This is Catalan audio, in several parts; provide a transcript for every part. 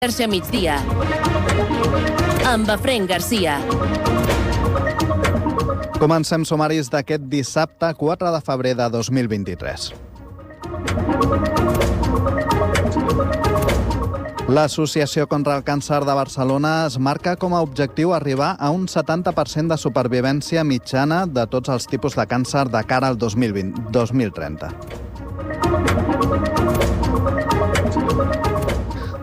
Xarxa migdia amb Efraïm Garcia. Comencem sumaris d'aquest dissabte 4 de febrer de 2023. L'Associació contra el Càncer de Barcelona es marca com a objectiu arribar a un 70% de supervivència mitjana de tots els tipus de càncer de cara al 2030.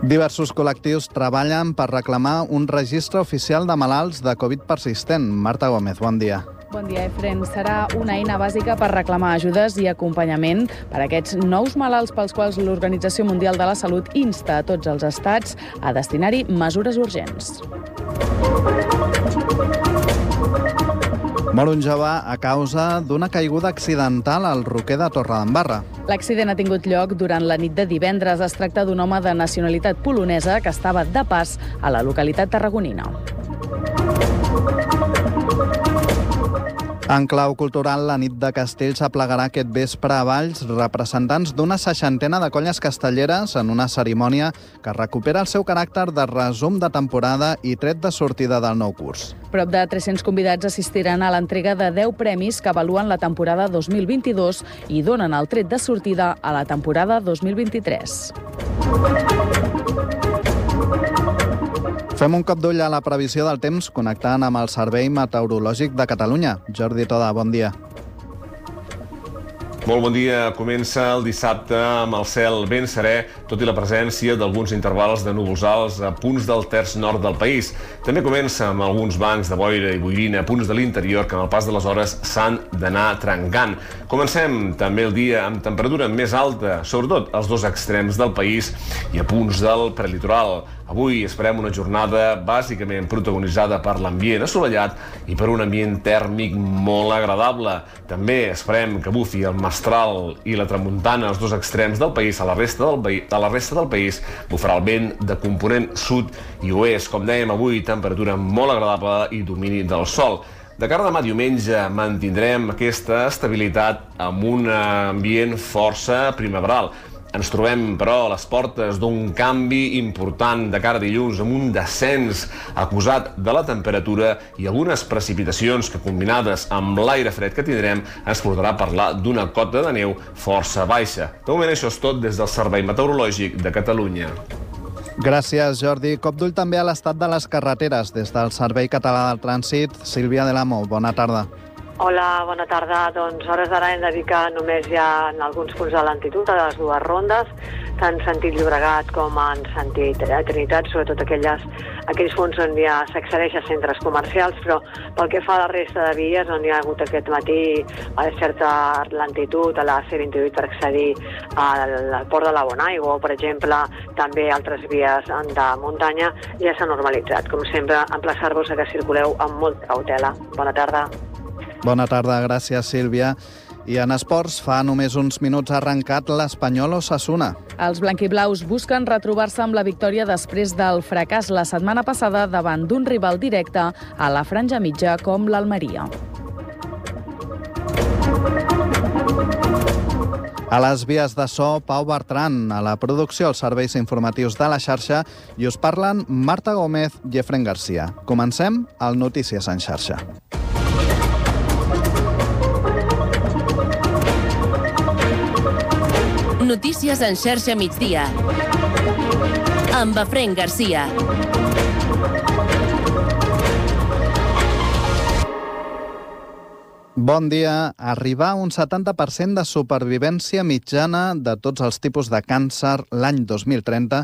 Diversos col·lectius treballen per reclamar un registre oficial de malalts de Covid persistent. Marta Gómez, bon dia. Bon dia, Efraïm. Serà una eina bàsica per reclamar ajudes i acompanyament per a aquests nous malalts pels quals l'Organització Mundial de la Salut insta a tots els estats a destinar-hi mesures urgents. Mor un jove a causa d'una caiguda accidental al Roquer de Torredembarra. L'accident ha tingut lloc durant la nit de divendres. Es tracta d'un home de nacionalitat polonesa que estava de pas a la localitat tarragonina. En clau cultural, la nit de Castells aplegarà aquest vespre a Valls representants d'una 60 de colles castelleres en una cerimònia que recupera el seu caràcter de resum de temporada i tret de sortida del nou curs. Prop de 300 convidats assistiran a l'entrega de 10 premis que avaluen la temporada 2022 i donen el tret de sortida a la temporada 2023. Fem un cop d'ull a la previsió del temps connectant amb el Servei Meteorològic de Catalunya. Jordi Toda, bon dia. Molt bon dia. Comença el dissabte amb el cel ben serè, tot i la presència d'alguns intervals de núvols alts a punts del terç nord del país. També comença amb alguns bancs de boira i boirina a punts de l'interior que amb el pas de les hores s'han d'anar trencant. Comencem també el dia amb temperatura més alta, sobretot als dos extrems del país i a punts del prelitoral. Avui esperem una jornada bàsicament protagonitzada per l'ambient assolellat i per un ambient tèrmic molt agradable. També esperem que bufi el mestral i la tramuntana als dos extrems del país. A la resta del país bufarà el vent de component sud i oest. Com dèiem, avui temperatura molt agradable i domini del sol. De cara a demà diumenge mantindrem aquesta estabilitat amb un ambient força primaveral. Ens trobem, però, a les portes d'un canvi important de cara a dilluns, amb un descens acusat de la temperatura i algunes precipitacions que, combinades amb l'aire fred que tindrem, ens portarà a parlar d'una cota de neu força baixa. De moment, això és tot des del Servei Meteorològic de Catalunya. Gràcies, Jordi. Cop d'ull també a l'estat de les carreteres. Des del Servei Català del Trànsit, Sílvia Delamo, bona tarda. Hola, bona tarda. Doncs a hores d'ara hem de dir que només hi ha en alguns punts de lentitud a les dues rondes, tant en sentit Llobregat com en sentit Trinitat, sobretot aquells punts on ja s'accedeix a centres comercials, però pel que fa a la resta de vies on hi ha hagut aquest matí certa lentitud a la C28 per accedir al port de la Bonaigua o, per exemple, també altres vies de muntanya, ja s'ha normalitzat. Com sempre, emplaçar-vos a que circuleu amb molta cautela. Bona tarda. Bona tarda, gràcies, Sílvia. I en esports, fa només uns minuts ha arrencat l'Espanyol Osasuna. Els blanquiblaus busquen retrobar-se amb la victòria després del fracàs la setmana passada davant d'un rival directe a la franja mitja com l'Almeria. A les vies de so, Pau Bertran, a la producció els serveis informatius de la xarxa, i us parlen Marta Gómez i Efraïm Garcia. Comencem al Notícies en xarxa. Notícies en xarxa migdia amb Efraïm Garcia. Bon dia. Arribar a un 70% de supervivència mitjana de tots els tipus de càncer l'any 2030.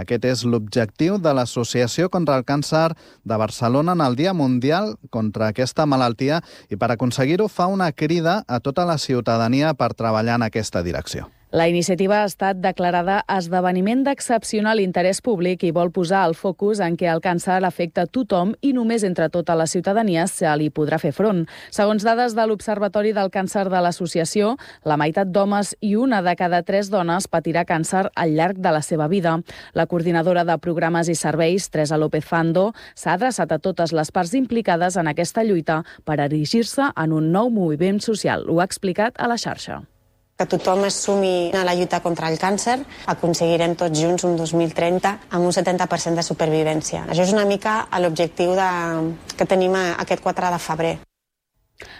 Aquest és l'objectiu de l'Associació contra el Càncer de Barcelona en el Dia Mundial contra aquesta malaltia i per aconseguir-ho fa una crida a tota la ciutadania per treballar en aquesta direcció. La iniciativa ha estat declarada esdeveniment d'excepcional interès públic i vol posar el focus en què el càncer afecta tothom i només entre tota la ciutadania se li podrà fer front. Segons dades de l'Observatori del Càncer de l'Associació, la meitat d'homes i una de cada 3 dones patirà càncer al llarg de la seva vida. La coordinadora de programes i serveis, Teresa López Fando, s'ha adreçat a totes les parts implicades en aquesta lluita per erigir-se en un nou moviment social. Ho ha explicat a la xarxa. Que tothom es sumi a la lluita contra el càncer, aconseguirem tots junts un 2030 amb un 70% de supervivència. Això és una mica l'objectiu que tenim aquest 4 de febrer.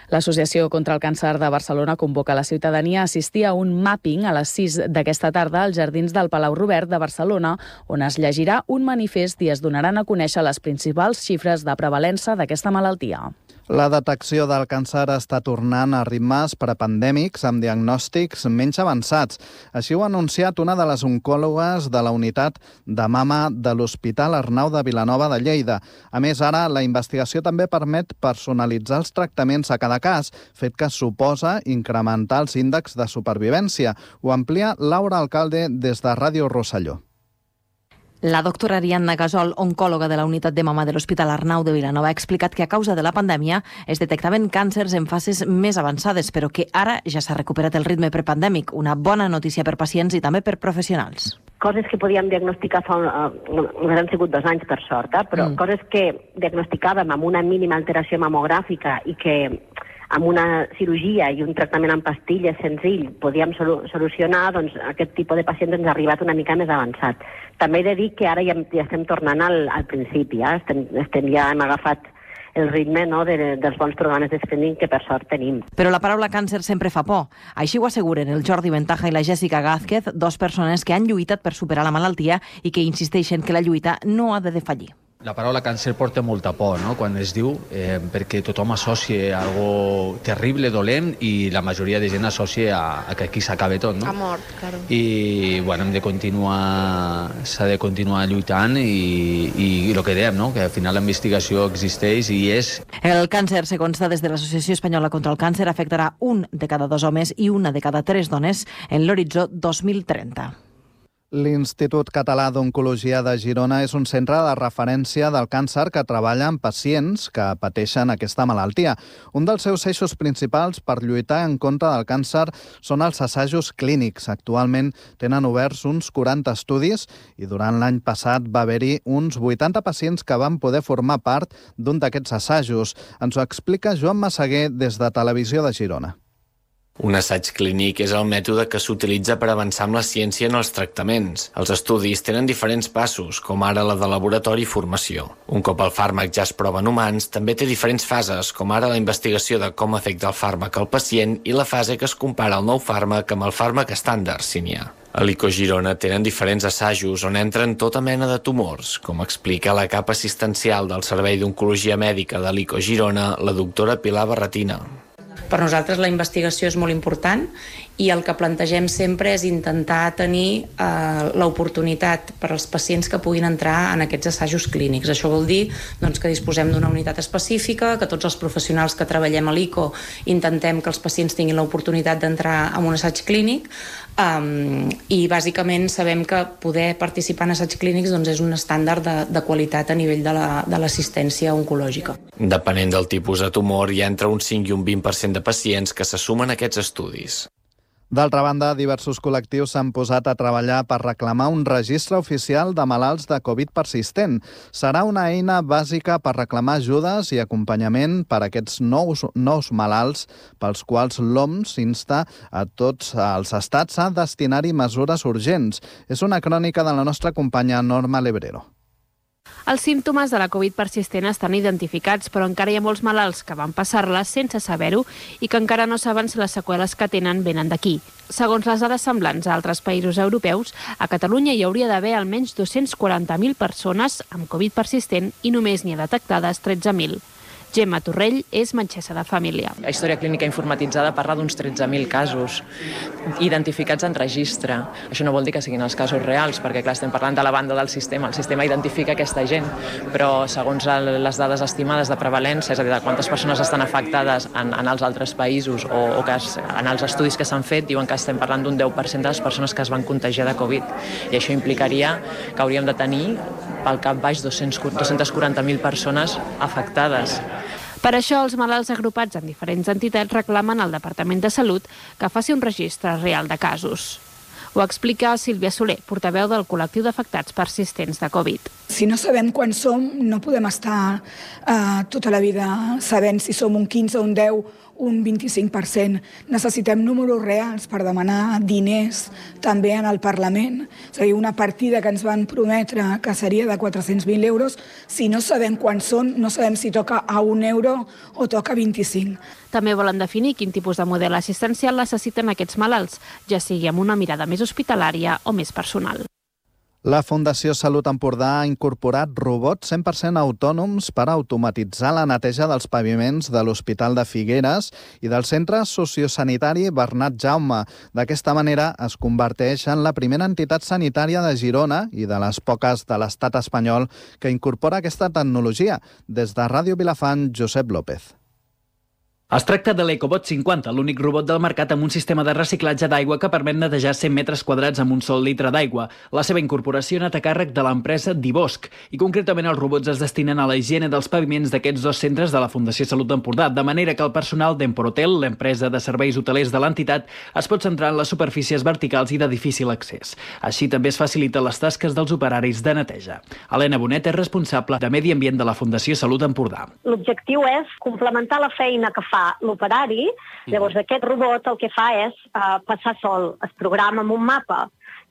L'Associació contra el Càncer de Barcelona convoca la ciutadania a assistir a un mapping a les 6 d'aquesta tarda als jardins del Palau Robert de Barcelona, on es llegirà un manifest i es donaran a conèixer les principals xifres de prevalença d'aquesta malaltia. La detecció del càncer està tornant a ritmes prepandèmics amb diagnòstics menys avançats. Així ho ha anunciat una de les oncòlogues de la unitat de mama de l'Hospital Arnau de Vilanova de Lleida. A més, ara la investigació també permet personalitzar els tractaments a cada cas, fet que suposa incrementar els índexs de supervivència. Ho amplia Laura Alcalde des de Ràdio Rosselló. La doctora Ariadna Gasol, oncòloga de la unitat de mama de l'Hospital Arnau de Vilanova, ha explicat que a causa de la pandèmia es detectaven càncers en fases més avançades, però que ara ja s'ha recuperat el ritme prepandèmic. Una bona notícia per pacients i també per professionals. Coses que podíem diagnosticar només han sigut 2 anys, per sort, però coses que diagnosticàvem amb una mínima alteració mamogràfica i que amb una cirurgia i un tractament amb pastilles senzill podíem solucionar, doncs aquest tipus de pacients ens ha arribat una mica més avançat. També he de dir que ara ja estem tornant al principi, ja hem agafat el ritme dels bons programes de screening que per sort tenim. Però la paraula càncer sempre fa por. Així ho asseguren el Jordi Ventaja i la Jessica Gázquez, 2 persones que han lluitat per superar la malaltia i que insisteixen que la lluita no ha de defallir. La paraula càncer porta molta por, no?, quan es diu, perquè tothom associa algo terrible, dolent, i la majoria de gent associa a que aquí s'acaba tot, no? A mort, claro. I, bueno, s'ha de continuar lluitant i el que dèiem, no?, que al final la investigació existeix i és... El càncer, segons dades de l'Associació Espanyola contra el Càncer, afectarà 1 de cada 2 homes i 1 de cada 3 dones en l'horitzó 2030. L'Institut Català d'Oncologia de Girona és un centre de referència del càncer que treballa amb pacients que pateixen aquesta malaltia. Un dels seus eixos principals per lluitar en contra del càncer són els assajos clínics. Actualment tenen oberts uns 40 estudis i durant l'any passat va haver-hi uns 80 pacients que van poder formar part d'un d'aquests assajos. Ens ho explica Joan Massaguer des de Televisió de Girona. Un assaig clínic és el mètode que s'utilitza per avançar amb la ciència en els tractaments. Els estudis tenen diferents passos, com ara la de laboratori i formació. Un cop el fàrmac ja es prova en humans, també té diferents fases, com ara la investigació de com afecta el fàrmac al pacient i la fase que es compara el nou fàrmac amb el fàrmac estàndard, si n'hi ha. A l'ICO Girona tenen diferents assajos on entren tota mena de tumors, com explica la capa assistencial del Servei d'Oncologia Mèdica de l'ICO Girona, la doctora Pilar Barretina. Per nosaltres la investigació és molt important i el que plantegem sempre és intentar tenir l'oportunitat per als pacients que puguin entrar en aquests assajos clínics. Això vol dir que disposem d'una unitat específica, que tots els professionals que treballem a l'ICO intentem que els pacients tinguin l'oportunitat d'entrar en un assaig clínic i bàsicament sabem que poder participar en assaigs clínics és un estàndard de qualitat a nivell de l'assistència oncològica. Depenent del tipus de tumor, hi ha entre un 5 i un 20% de pacients que se sumen a aquests estudis. D'altra banda, diversos col·lectius s'han posat a treballar per reclamar un registre oficial de malalts de Covid persistent. Serà una eina bàsica per reclamar ajudes i acompanyament per a aquests nous malalts pels quals l'OMS insta a tots els estats a destinar-hi mesures urgents. És una crònica de la nostra companya Norma Lebrero. Els símptomes de la Covid persistent estan identificats, però encara hi ha molts malalts que van passar-la sense saber-ho i que encara no saben si les seqüeles que tenen venen d'aquí. Segons les dades semblants a altres països europeus, a Catalunya hi hauria d'haver almenys 240.000 persones amb Covid persistent i només n'hi ha detectades 13.000. Gemma Torrell és metgessa de família. La història clínica informatitzada parla d'uns 13.000 casos identificats en registre. Això no vol dir que siguin els casos reals, perquè clar, estem parlant de la banda del sistema. El sistema identifica aquesta gent, però segons les dades estimades de prevalència, és a dir, de quantes persones estan afectades en els altres països o que en els estudis que s'han fet, diuen que estem parlant d'un 10% de les persones que es van contagiar de Covid. I això implicaria que hauríem de tenir pel cap baix 240.000 persones afectades. Per això, els malalts agrupats en diferents entitats reclamen al Departament de Salut que faci un registre real de casos. Ho explica Sílvia Soler, portaveu del col·lectiu d'afectats persistents de Covid. Si no sabem quan som, no podem estar tota la vida sabent si som un 15, un 10, un 25%. Necessitem números reals per demanar diners també en el Parlament. És a dir, una partida que ens van prometre que seria de 400.000 euros, si no sabem quan són, no sabem si toca a 1 euro o toca 25. També volen definir quin tipus de model assistencial necessiten aquests malalts, ja sigui amb una mirada més hospitalària o més personal. La Fundació Salut Empordà ha incorporat robots 100% autònoms per automatitzar la neteja dels paviments de l'Hospital de Figueres i del Centre Sociosanitari Bernat Jaume. D'aquesta manera es converteix en la primera entitat sanitària de Girona i de les poques de l'estat espanyol que incorpora aquesta tecnologia. Des de Ràdio Vilafant, Josep López. Es tracta de l'Ecobot 50, l'únic robot del mercat amb un sistema de reciclatge d'aigua que permet netejar 100 metres quadrats amb un sol litre d'aigua. La seva incorporació ha anat a càrrec de l'empresa Divosc i concretament els robots es destinen a la higiene dels paviments d'aquests 2 centres de la Fundació Salut Empordà, de manera que el personal d'Emporotel, l'empresa de serveis hotelers de l'entitat, es pot centrar en les superfícies verticals i de difícil accés. Així també es faciliten les tasques dels operaris de neteja. Helena Bonet és responsable de Medi Ambient de la Fundació Salut Empordà. L'objectiu és complementar la feina que fa l'operari. Llavors aquest robot el que fa és passar sol, es programa amb un mapa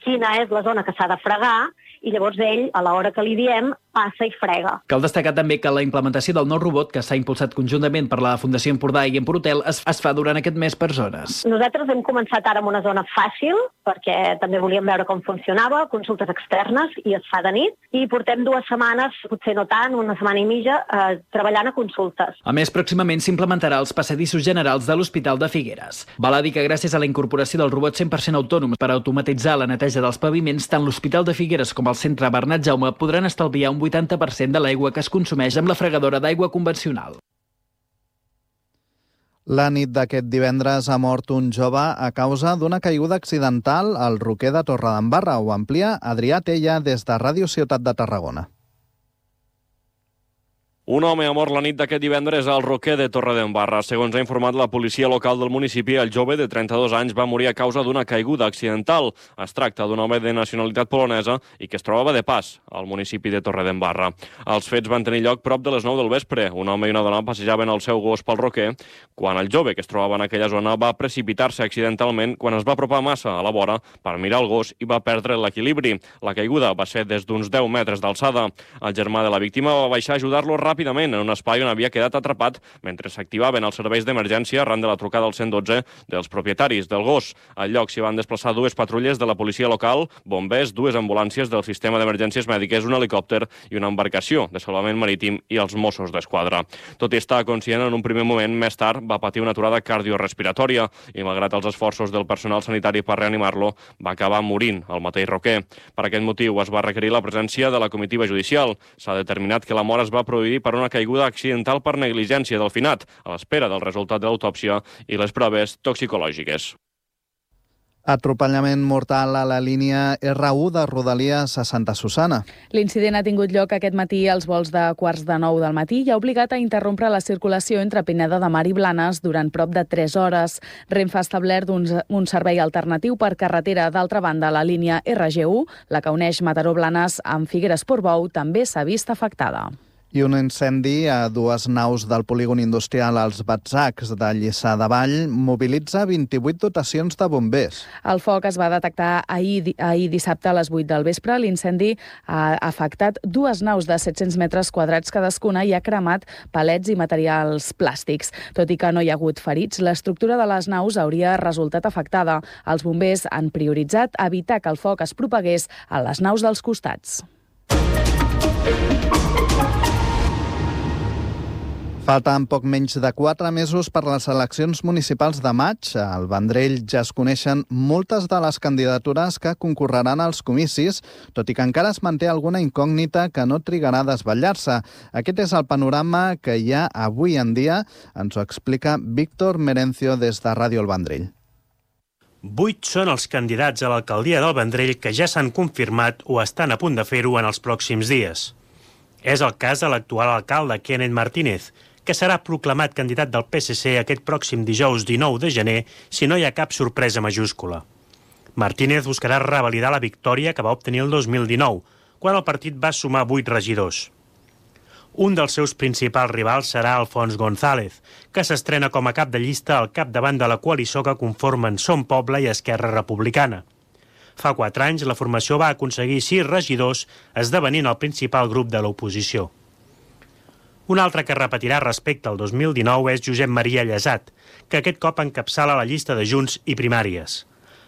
quina és la zona que s'ha de fregar i llavors ell, a l'hora que li diem, passa i frega. Cal destacar també que la implementació del nou robot, que s'ha impulsat conjuntament per la Fundació Empordà i Emporotel, es fa durant aquest mes per zones. Nosaltres hem començat ara amb una zona fàcil, perquè també volíem veure com funcionava, consultes externes, i es fa de nit, i portem 2 setmanes, potser no tant, una setmana i mitja, treballant a consultes. A més, pròximament s'implementarà als passadissos generals de l'Hospital de Figueres. Val a dir que gràcies a la incorporació del robot 100% autònom per automatitzar la neteja dels paviments, tant l'Hospital de Figueres com el Centre Bernat Jaume podran estalviar un 80% de l'aigua que es consumeix amb la fregadora d'aigua convencional. La nit d'aquest divendres ha mort un jove a causa d'una caiguda accidental al Roquer de Torredembarra. Ho amplia Adrià Tella des de Ràdio Ciutat de Tarragona. Un home ha mort la nit d'aquest divendres al Roquer de Torredembarra. Segons ha informat la policia local del municipi, el jove de 32 anys va morir a causa d'una caiguda accidental. Es tracta d'un home de nacionalitat polonesa i que es trobava de pas al municipi de Torredembarra. Els fets van tenir lloc prop de les 9 del vespre. Un home i una dona passejaven el seu gos pel Roquer quan el jove que es trobava en aquella zona va precipitar-se accidentalment quan es va apropar massa a la vora per mirar el gos i va perdre l'equilibri. La caiguda va ser des d'uns 10 metres d'alçada. El germà de la víctima va baixar a ajudar-lo ràpidament en un espai on havia quedat atrapat mentre s'activaven els serveis d'emergència arran de la trucada al 112 dels propietaris del gos. Al lloc s'hi van desplaçar 2 patrulles de la policia local, bombers, 2 ambulàncies del sistema d'emergències mèdiques, un helicòpter i una embarcació de salvament marítim i els Mossos d'Esquadra. Tot i estar conscient, en un primer moment, més tard, va patir una aturada cardiorespiratòria i, malgrat els esforços del personal sanitari per reanimar-lo, va acabar morint al mateix Roquer. Per aquest motiu es va requerir la presència de la comitiva judicial. S'ha determinat que la mort es va produir per una caiguda accidental per negligència del finat, a l'espera del resultat de l'autòpsia i les proves toxicològiques. Atropellament mortal a la línia R1 de Rodalies a Santa Susana. L'incident ha tingut lloc aquest matí als vols de 8:45 del matí i ha obligat a interrompre la circulació entre Pineda de Mar i Blanes durant prop de 3 hores. Renfe ha establert un servei alternatiu per carretera. D'altra banda, la línia RG1, la que uneix Mataró-Blanes amb Figueres-Portbou, també s'ha vist afectada. I un incendi a 2 naus del polígon industrial als Batzacs de Lliçà de Vall mobilitza 28 dotacions de bombers. El foc es va detectar ahir dissabte a les 8 del vespre. L'incendi ha afectat 2 naus de 700 metres quadrats cadascuna i ha cremat palets i materials plàstics. Tot i que no hi ha hagut ferits, l'estructura de les naus hauria resultat afectada. Els bombers han prioritzat evitar que el foc es propagués a les naus dels costats. Falten poc menys de 4 mesos per les eleccions municipals de maig. Al Vendrell ja es coneixen moltes de les candidatures que concorreran als comicis, tot i que encara es manté alguna incògnita que no trigarà a desvetllar-se. Aquest és el panorama que hi ha avui en dia. Ens ho explica Víctor Merencio des de Ràdio El Vendrell. 8 són els candidats a l'alcaldia del Vendrell que ja s'han confirmat o estan a punt de fer-ho en els pròxims dies. És el cas de l'actual alcalde Kenneth Martínez, que serà proclamat candidat del PSC aquest pròxim dijous 19 de gener si no hi ha cap sorpresa majúscula. Martínez buscarà revalidar la victòria que va obtenir el 2019, quan el partit va sumar 8 regidors. Un dels seus principals rivals serà Alfons González, que s'estrena com a cap de llista al capdavant de la coalició que conformen Som Poble i Esquerra Republicana. Fa 4 anys, la formació va aconseguir 6 regidors, esdevenint el principal grup de l'oposició. Un altre que repetirà respecte al 2019 és Josep Maria Llesat, que aquest cop encapçala la llista de Junts i Primàries.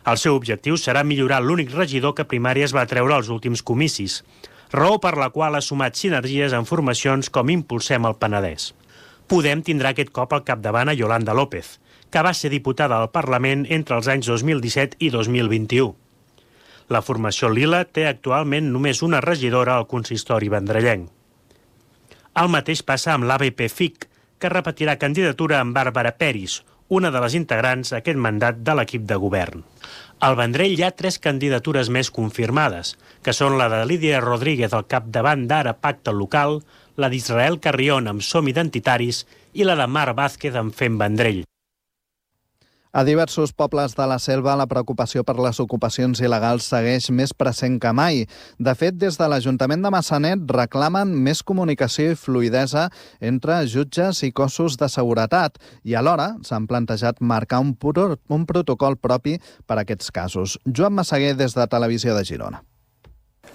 El seu objectiu serà millorar l'únic regidor que Primàries va treure als últims comicis, raó per la qual ha sumat sinergies en formacions com Impulsem el Penedès. Podem tindrà aquest cop al capdavant a Yolanda López, que va ser diputada al Parlament entre els anys 2017 i 2021. La formació Lila té actualment només una regidora al consistori vendrellenc. El mateix passa amb l'ABP-FIC, que repetirà candidatura amb Bàrbara Peris, una de les integrants d'aquest mandat de l'equip de govern. Al Vendrell hi ha 3 candidatures més confirmades, que són la de Lídia Rodríguez al capdavant d'Ara Pacte Local, la d'Israel Carrión amb Som Identitaris i la de Mar Vázquez amb Fem Vendrell. A diversos pobles de la Selva, la preocupació per les ocupacions il·legals segueix més present que mai. De fet, des de l'Ajuntament de Massanet reclamen més comunicació i fluïdesa entre jutges i cossos de seguretat i alhora s'han plantejat marcar un protocol propi per a aquests casos. Joan Massaguer, des de Televisió de Girona.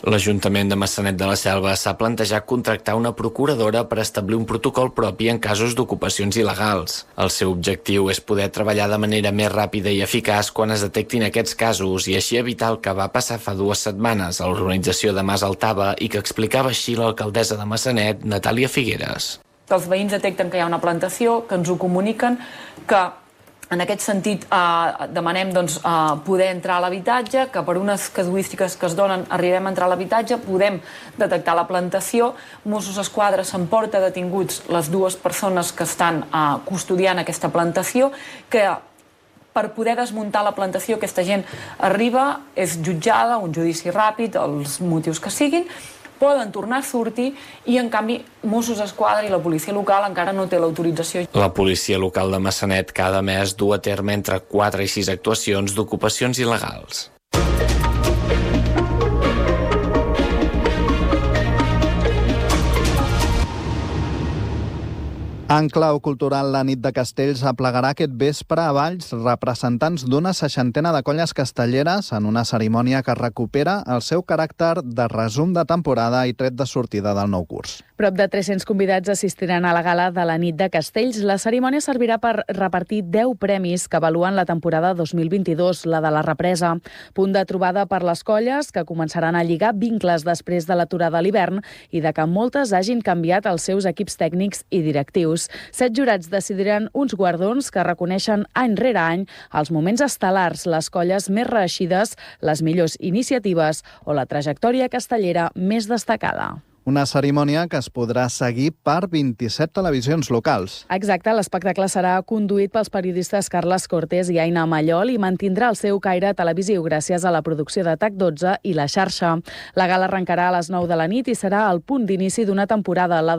L'Ajuntament de Massanet de la Selva s'ha plantejat contractar una procuradora per establir un protocol propi en casos d'ocupacions il·legals. El seu objectiu és poder treballar de manera més ràpida i eficaç quan es detectin aquests casos i així evitar el que va passar fa 2 setmanes a l'organització de Mas Altava i que explicava així l'alcaldessa de Massanet, Natàlia Figueres. Que els veïns detecten que hi ha una plantació, que ens ho comuniquen, que en aquest sentit demanem poder entrar a l'habitatge, que per unes casuístiques que es donen arribem a entrar a l'habitatge, podem detectar la plantació, Mossos d'Esquadra s'emporta detinguts les 2 persones que estan custodiant aquesta plantació, que per poder desmuntar la plantació aquesta gent arriba, és jutjada, un judici ràpid, els motius que siguin, poden tornar a sortir i, en canvi, Mossos d'Esquadra i la policia local encara no té l'autorització. La policia local de Massanet cada mes du a terme entre 4 i 6 actuacions d'ocupacions il·legals. En clau cultural, la nit de Castells aplegarà aquest vespre a Valls representants d'una 60ena de colles castelleres en una cerimònia que recupera el seu caràcter de resum de temporada i tret de sortida del nou curs. Prop de 300 convidats assistiran a la gala de la nit de Castells. La cerimònia servirà per repartir 10 premis que avaluen la temporada 2022, la de la represa. Punt de trobada per les colles, que començaran a lligar vincles després de l'aturada a l'hivern i de que moltes hagin canviat els seus equips tècnics i directius. 7 jurats decidiran uns guardons que reconeixen any rere any els moments estel·lars, les colles més reeixides, les millors iniciatives o la trajectòria castellera més destacada. Una cerimònia que es podrà seguir per 27 televisions locals. Exacte, l'espectacle serà conduït pels periodistes Carles Cortés i Aina Mallol i mantindrà el seu caire televisiu gràcies a la producció de TAC12 i la xarxa. La gala arrencarà a les 9 de la nit i serà el punt d'inici d'una temporada, la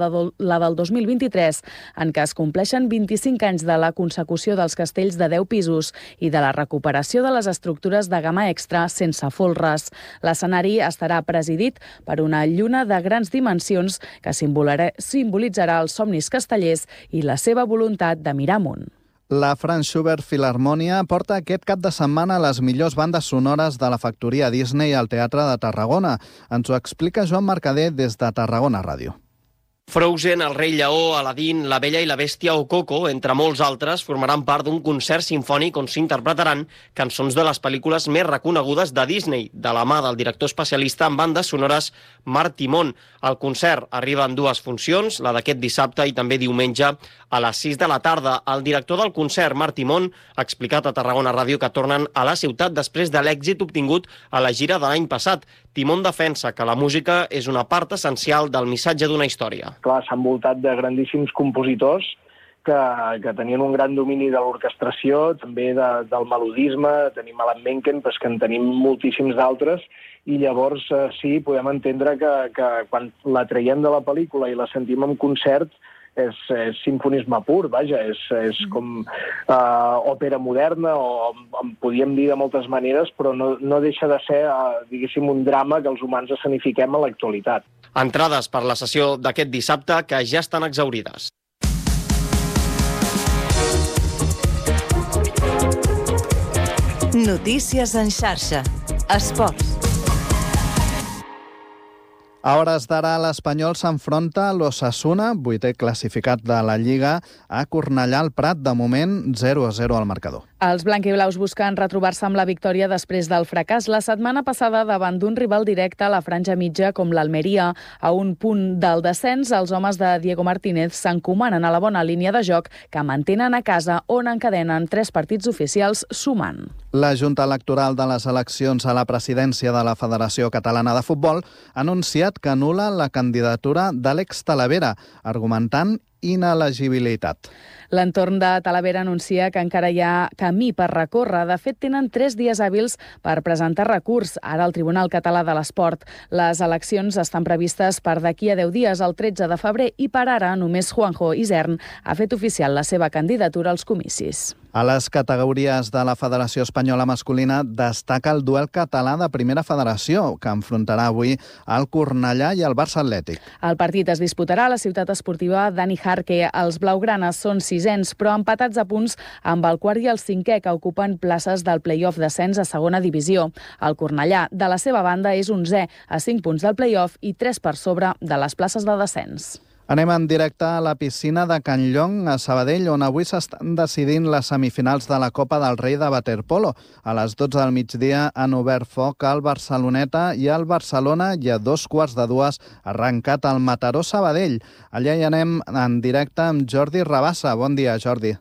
del 2023, en què es compleixen 25 anys de la consecució dels castells de 10 pisos i de la recuperació de les estructures de gamma extra sense folres. L'escenari estarà presidit per una lluna de grans dimensions que simbolitzarà els somnis castellers i la seva voluntat de mirar amunt. La Franz Schubert Filharmonia porta aquest cap de setmana les millors bandes sonores de la factoria Disney al Teatre de Tarragona. Ens ho explica Joan Mercader des de Tarragona Ràdio. Frozen, El rei lleó, Aladdin, La bella i la bèstia o Coco, entre molts altres, formaran part d'un concert sinfònic on s'interpretaran cançons de les pel·lícules més reconegudes de Disney, de la mà del director especialista en bandes sonores Marc Timón. El concert arriba en 2 funcions, la d'aquest dissabte i també diumenge a les 6 de la tarda. El director del concert, Marc Timón, ha explicat a Tarragona Ràdio que tornen a la ciutat després de l'èxit obtingut a la gira de l'any passat. Timón defensa que la música és una part essencial del missatge d'una història. Clar, s'ha envoltat de grandíssims compositors que tenien un gran domini de l'orquestració, també del melodisme. Tenim Alan Menken, però és que en tenim moltíssims d'altres, i llavors sí, podem entendre que quan la traiem de la pel·lícula i la sentim en concert sinfonisme pur, vaja, és com òpera moderna, o en podíem dir de moltes maneres, però no deixa de ser, diguéssim, un drama que els humans escenifiquem a l'actualitat. Entrades per la sessió d'aquest dissabte que ja estan exhaurides. Notícies en xarxa. Esports. A hores d'ara, l'Espanyol s'enfronta a l'Osasuna, 8è classificat de la Lliga, a Cornellà al Prat, de moment 0-0 al marcador. Els blanquiblaus busquen retrobar-se amb la victòria després del fracàs la setmana passada davant d'un rival directe a la franja mitja com l'Almeria. A un punt del descens, els homes de Diego Martínez s'encomanen a la bona línia de joc que mantenen a casa, on encadenen 3 partits oficials sumant. La Junta Electoral de les eleccions a la presidència de la Federació Catalana de Futbol ha anunciat que anul·la la candidatura d'Àlex Talavera, argumentant inelegibilitat. L'entorn de Talavera anuncia que encara hi ha camí per recórrer. De fet, tenen 3 dies hàbils per presentar recurs, ara al Tribunal Català de l'Esport. Les eleccions estan previstes per d'aquí a 10 dies, el 13 de febrer, i per ara només Juanjo Isern ha fet oficial la seva candidatura als comicis. A les categories de la Federació Espanyola Masculina destaca el duel català de Primera Federació, que enfrontarà avui el Cornellà i el Barça Atlètic. El partit es disputarà a la ciutat esportiva Dani Jarque. Els blaugranes són 6ens, però empatats a punts amb el quart i el 5è, que ocupen places del play-off d'ascens a segona divisió. El Cornellà, de la seva banda, és 11è, a 5 punts del play-off i 3 per sobre de les places de descens. Anem en directe a la piscina de Can Llong, a Sabadell, on avui s'estan decidint les semifinals de la Copa del Rei de waterpolo. A les 12 del migdia han obert foc al Barceloneta i al Barcelona, i a 2:15 ha arrencat el Mataró Sabadell. Allà hi anem en directe amb Jordi Rabassa. Bon dia, Jordi.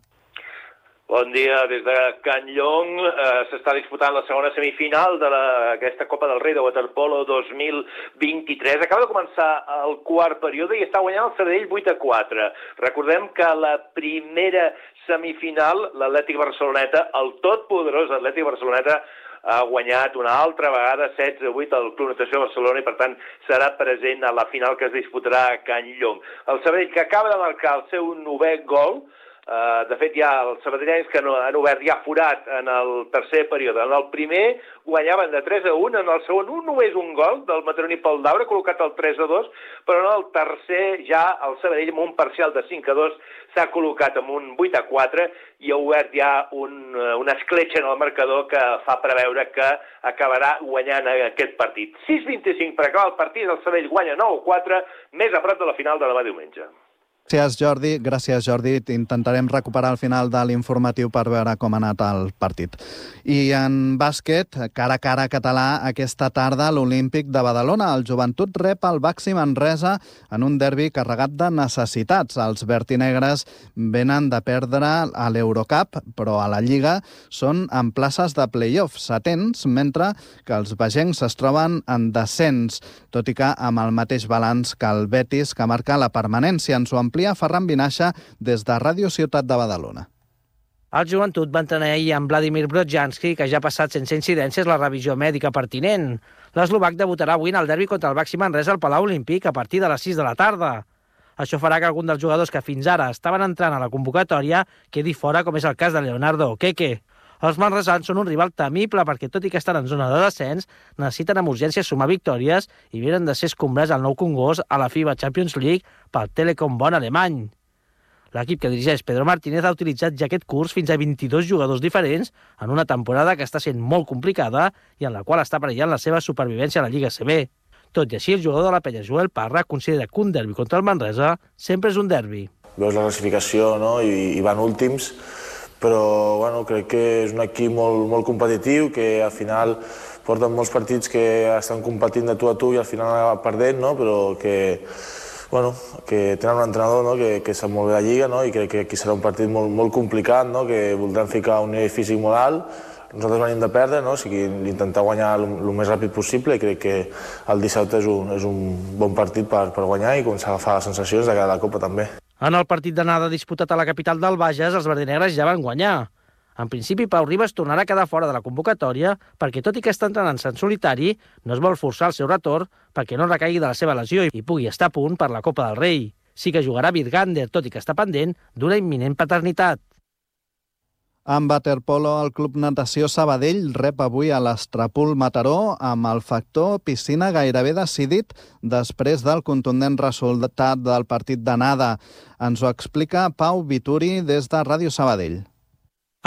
Bon dia, des de Can Llong s'està disputant la segona semifinal d'aquesta Copa del Rei de waterpolo 2023. Acaba de començar el quart període i està guanyant el Sabadell 8-4. Recordem que la primera semifinal, l'Atlètic Barceloneta, el totpoderós Atlètic Barceloneta, ha guanyat una altra vegada 16-8 al Club Natació Barcelona i, per tant, serà present a la final que es disputarà a Can Llong. El Sabadell, que acaba de marcar el seu 9è gol. De fet, ja els sabadellencs que han obert ja forat en el tercer període. En el primer guanyaven de 3-1, en el segon només un gol del mataroní Pol Daura, col·locat al 3-2, però en el tercer ja el Sabadell, amb un parcial de 5-2, s'ha col·locat amb un 8-4 i ha obert ja una escletxa en el marcador que fa preveure que acabarà guanyant aquest partit. 6:25 per acabar el partit, el Sabadell guanya 9-4, més a prop de la final de demà diumenge. Gràcies, Jordi. Intentarem recuperar el final de l'informatiu per veure com ha anat el partit. I en bàsquet, cara a cara català, aquesta tarda a l'Olímpic de Badalona. El Joventut rep el Baxi Manresa en un derbi carregat de necessitats. Els vertinegres venen de perdre a l'Eurocup, però a la Lliga són en places de play-off setents, mentre que els bagencs es troben en descens, tot i que amb el mateix balanç que el Betis, que marca la permanència. Ens ho amplia Ferran Vinaixa des de Ràdio Ciutat de Badalona. El Joventut va entrenar ahir amb Vladimir Brodzianski, que ja ha passat sense incidències la revisió mèdica pertinent. L'eslovac debutarà avui en el derbi contra el Baxi Manresa al Palau Olímpic a partir de les 6 de la tarda. Això farà que algun dels jugadors que fins ara estaven entrant a la convocatòria quedi fora, com és el cas de Leonardo Okeke. Els manresans són un rival temible perquè, tot i que estan en zona de descens, necessiten amb urgència sumar victòries i vienen de ser escombrats al Nou Congost a la FIBA Champions League pel Telekom Bonn alemany. L'equip que dirigeix Pedro Martínez ha utilitzat ja aquest curs fins a 22 jugadors diferents en una temporada que està sent molt complicada i en la qual està perillant la seva supervivència a la Lliga CB. Tot i així, el jugador de la Penya, Joel Parra, considera que un derbi contra el Manresa sempre és un derbi. Veus la classificació, no? I van últims, però bueno, crec que és un equip molt competitiu, que al final porten molts partits que estan competint de tu a tu i al final acaben perdent, no? Però que tenen un entrenador, no? que sap molt bé la Lliga, no? I crec que aquí serà un partit molt complicat, no? Que voldran ficar un nivell físic molt alt. Nosaltres venim de perdre, no? O sigui, intentar guanyar el més ràpid possible, i crec que el dissabte és un bon partit per guanyar i començar a agafar les sensacions de cara a la Copa també. En el partit d'anada disputat a la capital del Bages, els verdinegres ja van guanyar. En principi, Pau Ribas tornarà a quedar fora de la convocatòria perquè, tot i que està entrenant-se en solitari, no es vol forçar el seu retorn perquè no recaigui de la seva lesió i pugui estar a punt per la Copa del Rei. sí que jugarà Virgander, tot i que està pendent d'una imminent paternitat. En waterpolo, el Club Natació Sabadell rep avui a l'Estrapul Mataró amb el factor piscina gairebé decidit després del contundent resultat del partit d'anada. Ens ho explica Pau Vituri des de Ràdio Sabadell.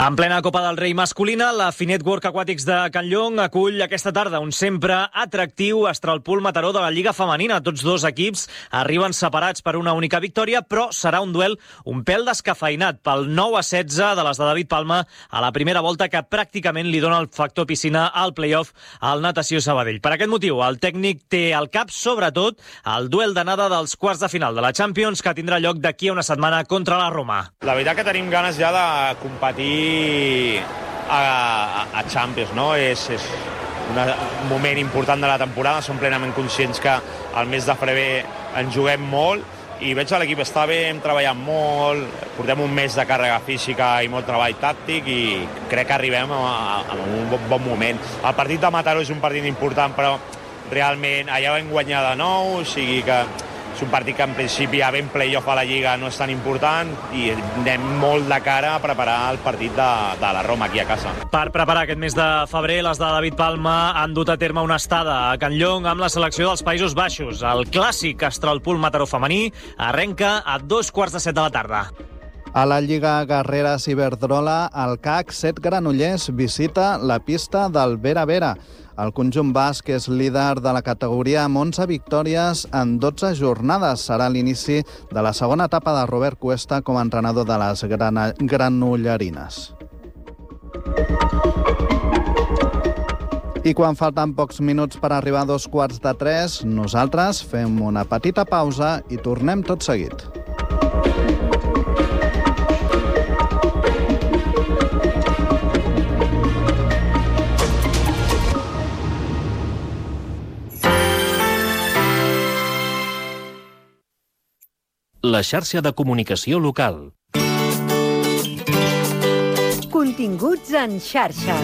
En plena Copa del Rei masculina, la Finet Work Aquàtics de Can Llong acull aquesta tarda un sempre atractiu Estrapul Mataró de la Lliga Femenina. Tots dos equips arriben separats per una única victòria, però serà un duel un pèl descafeinat pel 9-16 de les de David Palma a la primera volta, que pràcticament li dona el factor piscina al play-off al Natació Sabadell. Per aquest motiu, el tècnic té al cap, sobretot, el duel d'anada dels quarts de final de la Champions, que tindrà lloc d'aquí a una setmana contra la Roma. La veritat que tenim ganes ja de competir a Champions, no? És un moment important de la temporada, som plenament conscients que al mes de febrer en juguem molt i veig que l'equip està bé, hem treballat molt, portem un mes de càrrega física i molt treball tàctic i crec que arribem a un bon moment. El partit de Mataró és un partit important, però realment allà vam guanyar de nou, o sigui que és un partit que en principi havent play-off a la Lliga no és tan important i anem molt de cara a preparar el partit de la Roma aquí a casa. Per preparar aquest mes de febrer, les de David Palma han dut a terme una estada a Can Llong amb la selecció dels Països Baixos. El clàssic Estrapul Mataró femení arrenca a 2:15 de la tarda. A la Lliga Guerreres Iberdrola, el CAC 7 Granollers visita la pista del Vera Vera. El conjunt basc és líder de la categoria amb 11 victòries en 12 jornades. Serà l'inici de la segona etapa de Robert Cuesta com a entrenador de les granollerines. I quan falten pocs minuts per arribar a 2:15, nosaltres fem una petita pausa i tornem tot seguit. La xarxa de comunicació local. Continguts en xarxa.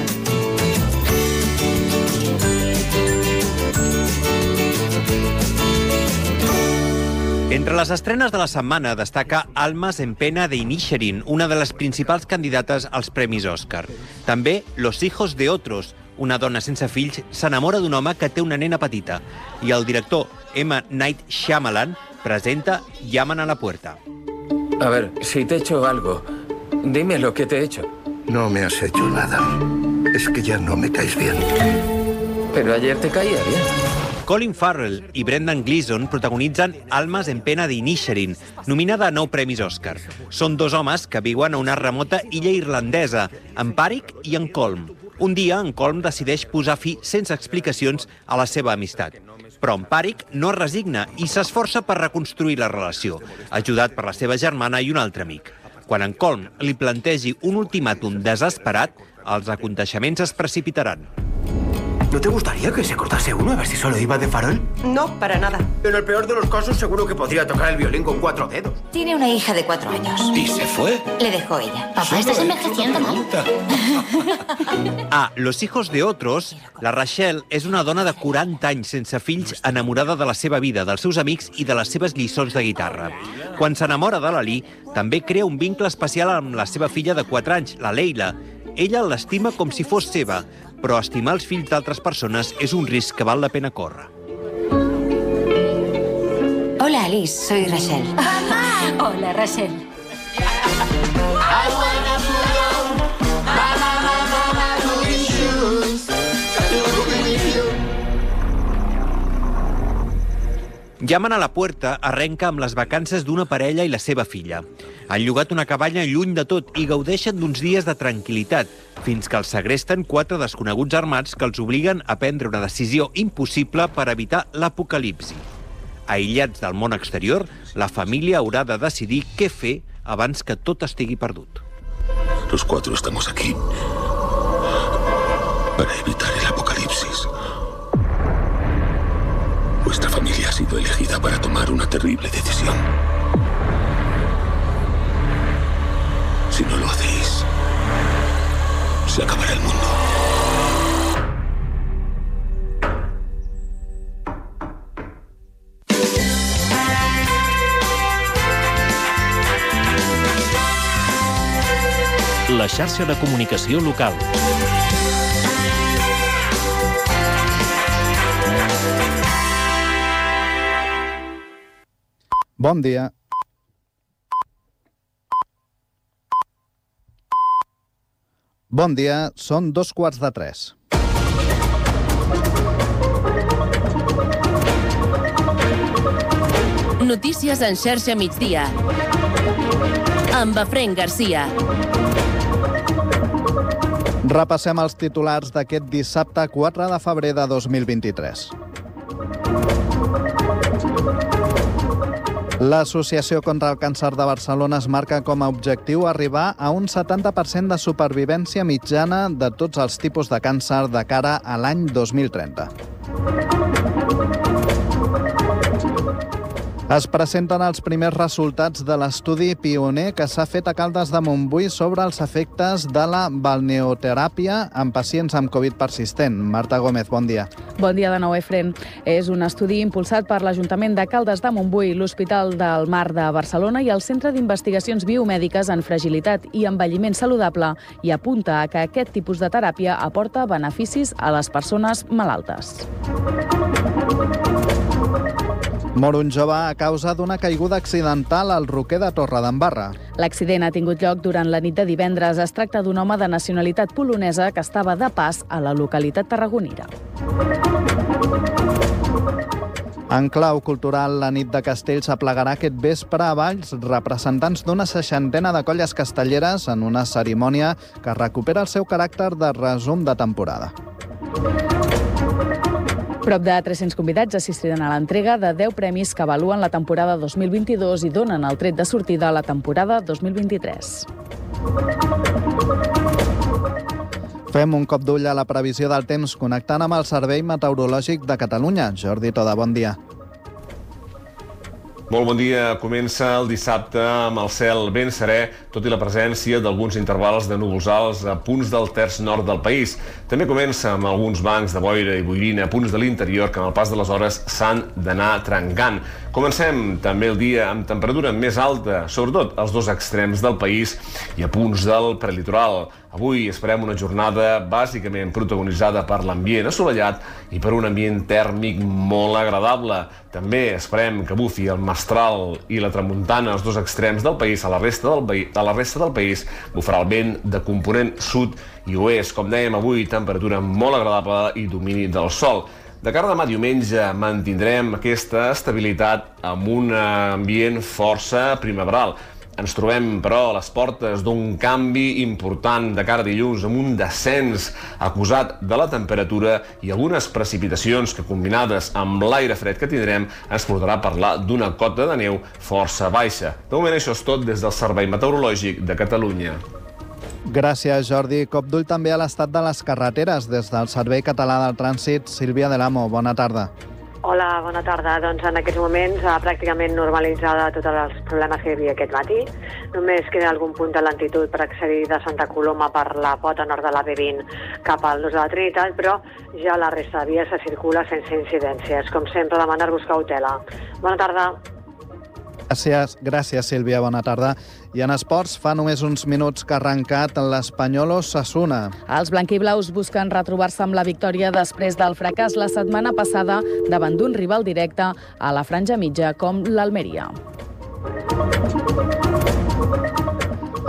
Entre les estrenes de la setmana destaca Almas en pena de Inisherin, una de les principals candidates als Premis Òscar. També Los hijos de otros, una dona sense fills s'enamora d'un home que té una nena petita. I el director M. Night Shyamalan presenta Llaman a la puerta. A ver, si te he hecho algo, dime lo que te he hecho. No me has hecho nada. Es que ya no me caes bien. Pero ayer te caía bien. Colin Farrell i Brendan Gleeson protagonitzen Almas en pena de Inisherin, nominada a 9 Premis Òscar. Són dos homes que viuen a una remota illa irlandesa, en Páric i en Colm. Un dia, en Colm decideix posar fi sense explicacions a la seva amistat. Però en Páric no es resigna i s'esforça per reconstruir la relació, ajudat per la seva germana i un altre amic. Quan en Colm li plantegi un ultimàtum desesperat, els aconteixements es precipitaran. ¿No te gustaría que se cortase uno a ver si solo iba de farol? No, para nada. En el peor de los casos seguro que podría tocar el violín con 4 dedos. Tiene una hija de 4 años. ¿Y se fue? Le dejó ella. Papá, estás envejeciendo mal. A Los hijos de otros, la Rachel és una dona de 40 anys sense fills enamorada de la seva vida, dels seus amics i de les seves lliçons de guitarra. Quan s'enamora de l'Ali, també crea un vincle especial amb la seva filla de 4 anys, la Leila. Ella l'estima com si fos seva, però estimar els fills d'altres persones és un risc que val la pena córrer. Hola, Alice, soy Rachel. ¡Mamá! Hola, Rachel. Llaman a la puerta arrenca amb les vacances d'una parella i la seva filla. Han llogat una cabanya lluny de tot i gaudeixen d'uns dies de tranquil·litat, fins que els segresten 4 desconeguts armats que els obliguen a prendre una decisió impossible per evitar l'apocalipsi. Aïllats del món exterior, la família haurà de decidir què fer abans que tot estigui perdut. Los 4 estamos aquí para evitar el apocalipsis. Vuestra familia ha sido elegida para tomar una terrible decisión. Si no lo hacéis, se acabará el mundo. La xarxa de comunicació local. Bon dia. Bon dia, són 2:15. Notícies en xarxa migdia. Amb Efraín Garcia. Repassem els titulars d'aquest dissabte 4 de febrer de 2023. L'Associació contra el Càncer de Barcelona es marca com a objectiu arribar a un 70% de supervivència mitjana de tots els tipus de càncer de cara a l'any 2030. Es presenten els primers resultats de l'estudi pioner que s'ha fet a Caldes de Montbui sobre els efectes de la balneoteràpia en pacients amb Covid persistent. Marta Gómez, bon dia. Bon dia de nou, Efren. És un estudi impulsat per l'Ajuntament de Caldes de Montbui, l'Hospital del Mar de Barcelona i el Centre d'Investigacions Biomèdiques en Fragilitat i Envelliment Saludable i apunta a que aquest tipus de teràpia aporta beneficis a les persones malaltes. Mor un jove a causa d'una caiguda accidental al Roquer de Torredembarra. L'accident ha tingut lloc durant la nit de divendres. Es tracta d'un home de nacionalitat polonesa que estava de pas a la localitat tarragonina. En clau cultural, la nit de Castells aplegarà aquest vespre a Valls representants d'una 60 de colles castelleres en una cerimònia que recupera el seu caràcter de resum de temporada. Prop de 300 convidats assistiran a l'entrega de 10 premis que avaluen la temporada 2022 i donen el tret de sortida a la temporada 2023. Fem un cop d'ull a la previsió del temps connectant amb el Servei Meteorològic de Catalunya. Jordi Toda, bon dia. Molt bon dia. Comença el dissabte amb el cel ben serè, tot i la presència d'alguns intervals de núvols alts a punts del terç nord del país. També comença amb alguns bancs de boira i boirina a punts de l'interior que amb el pas de les hores s'han d'anar trencant. Comencem també el dia amb temperatura més alta, sobretot als dos extrems del país i a punts del prelitoral. Avui esperem una jornada bàsicament protagonitzada per l'ambient assolellat i per un ambient tèrmic molt agradable. També esperem que bufi el mestral i la tramuntana als dos extrems del país. A la resta del país bufarà el vent de component sud i oest. Com dèiem, avui temperatura molt agradable i domini del sol. De cara a demà diumenge mantindrem aquesta estabilitat amb un ambient força primaveral. Ens trobem, però, a les portes d'un canvi important de cara a dilluns, amb un descens acusat de la temperatura i algunes precipitacions que, combinades amb l'aire fred que tindrem, ens portarà a parlar d'una cota de neu força baixa. De moment, això és tot des del Servei Meteorològic de Catalunya. Gràcies, Jordi. Cop d'ull també a l'estat de les carreteres. Des del Servei Català del Trànsit, Sílvia de l'Amo, bona tarda. Hola, bona tarda. Doncs en aquests moments pràcticament normalitzada tots els problemes que hi havia aquest matí. Només queda algun punt de lentitud per accedir de Santa Coloma per la pota nord de la B20 cap al nus de la Trinitat, però ja la resta de vies se circula sense incidències. Com sempre, demanar-vos cautela. Bona tarda. Gràcies, Sílvia, bona tarda. I en esports, fa només uns minuts que ha arrencat l'Espanyol Osasuna. Els blanquiblaus busquen retrobar-se amb la victòria després del fracàs la setmana passada davant d'un rival directe a la franja mitja com l'Almeria.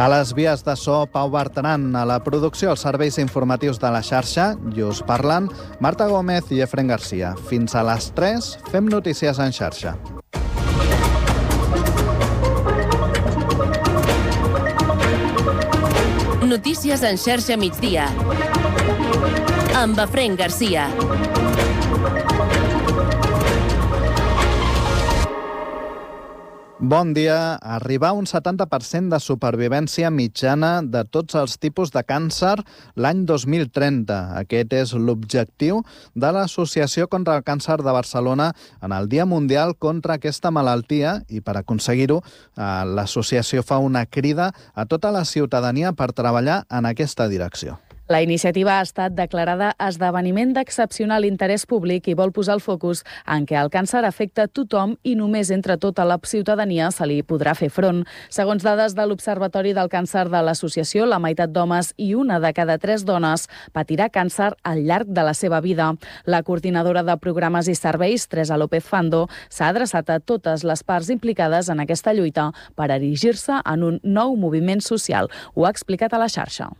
A les vies de so, Pau Bertran. A la producció, els serveis informatius de la xarxa, i us parlen Marta Gómez i Efraín Garcia. Fins a les 3, fem notícies en xarxa. Notícies en xarxa migdia. Amb Efraín Garcia. Bon dia. Arribar a un 70% de supervivència mitjana de tots els tipus de càncer l'any 2030. Aquest és l'objectiu de l'Associació contra el Càncer de Barcelona en el Dia Mundial contra aquesta malaltia i per aconseguir-ho l'associació fa una crida a tota la ciutadania per treballar en aquesta direcció. La iniciativa ha estat declarada esdeveniment d'excepcional interès públic i vol posar el focus en què el càncer afecta tothom i només entre tota la ciutadania se li podrà fer front. Segons dades de l'Observatori del Càncer de l'associació, la meitat d'homes i una de cada 3 dones patirà càncer al llarg de la seva vida. La coordinadora de programes i serveis, Teresa López Fando, s'ha adreçat a totes les parts implicades en aquesta lluita per erigir-se en un nou moviment social. Ho ha explicat a la xarxa.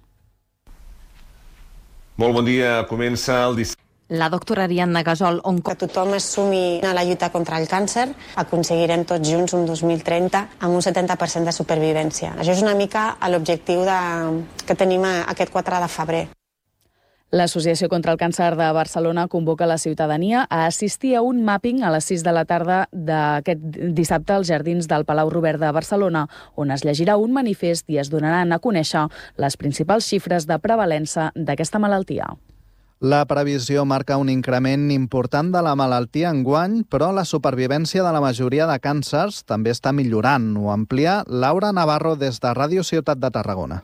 Molt bon dia, comença el dissabte. La doctora Ariadna Gasol, que tothom es sumi a la lluita contra el càncer, aconseguirem tots junts un 2030 amb un 70% de supervivència. Això és una mica l'objectiu que tenim aquest 4 de febrer. L'Associació contra el Càncer de Barcelona convoca la ciutadania a assistir a un mapping a les 6 de la tarda d'aquest dissabte als jardins del Palau Robert de Barcelona, on es llegirà un manifest i es donaran a conèixer les principals xifres de prevalença d'aquesta malaltia. La previsió marca un increment important de la malaltia enguany, però la supervivència de la majoria de càncers també està millorant. Ho amplia Laura Navarro des de Ràdio Ciutat de Tarragona.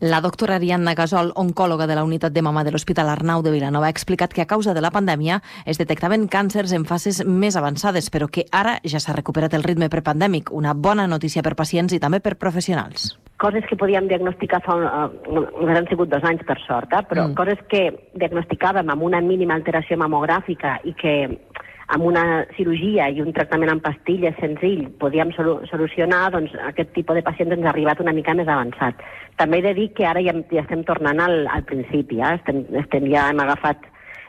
La doctora Ariadna Gasol, oncòloga de la unitat de mama de l'Hospital Arnau de Vilanova, ha explicat que a causa de la pandèmia es detectaven càncers en fases més avançades, però que ara ja s'ha recuperat el ritme prepandèmic. Una bona notícia per pacients i també per professionals. Coses que podíem diagnosticar han sigut 2 anys, per sort, però coses que diagnosticàvem amb una mínima alteració mamogràfica i que amb una cirurgia i un tractament amb pastilles senzill podíem solucionar, doncs aquest tipus de pacients ens ha arribat una mica més avançat. També he de dir que ara ja estem tornant al principi, ja hem agafat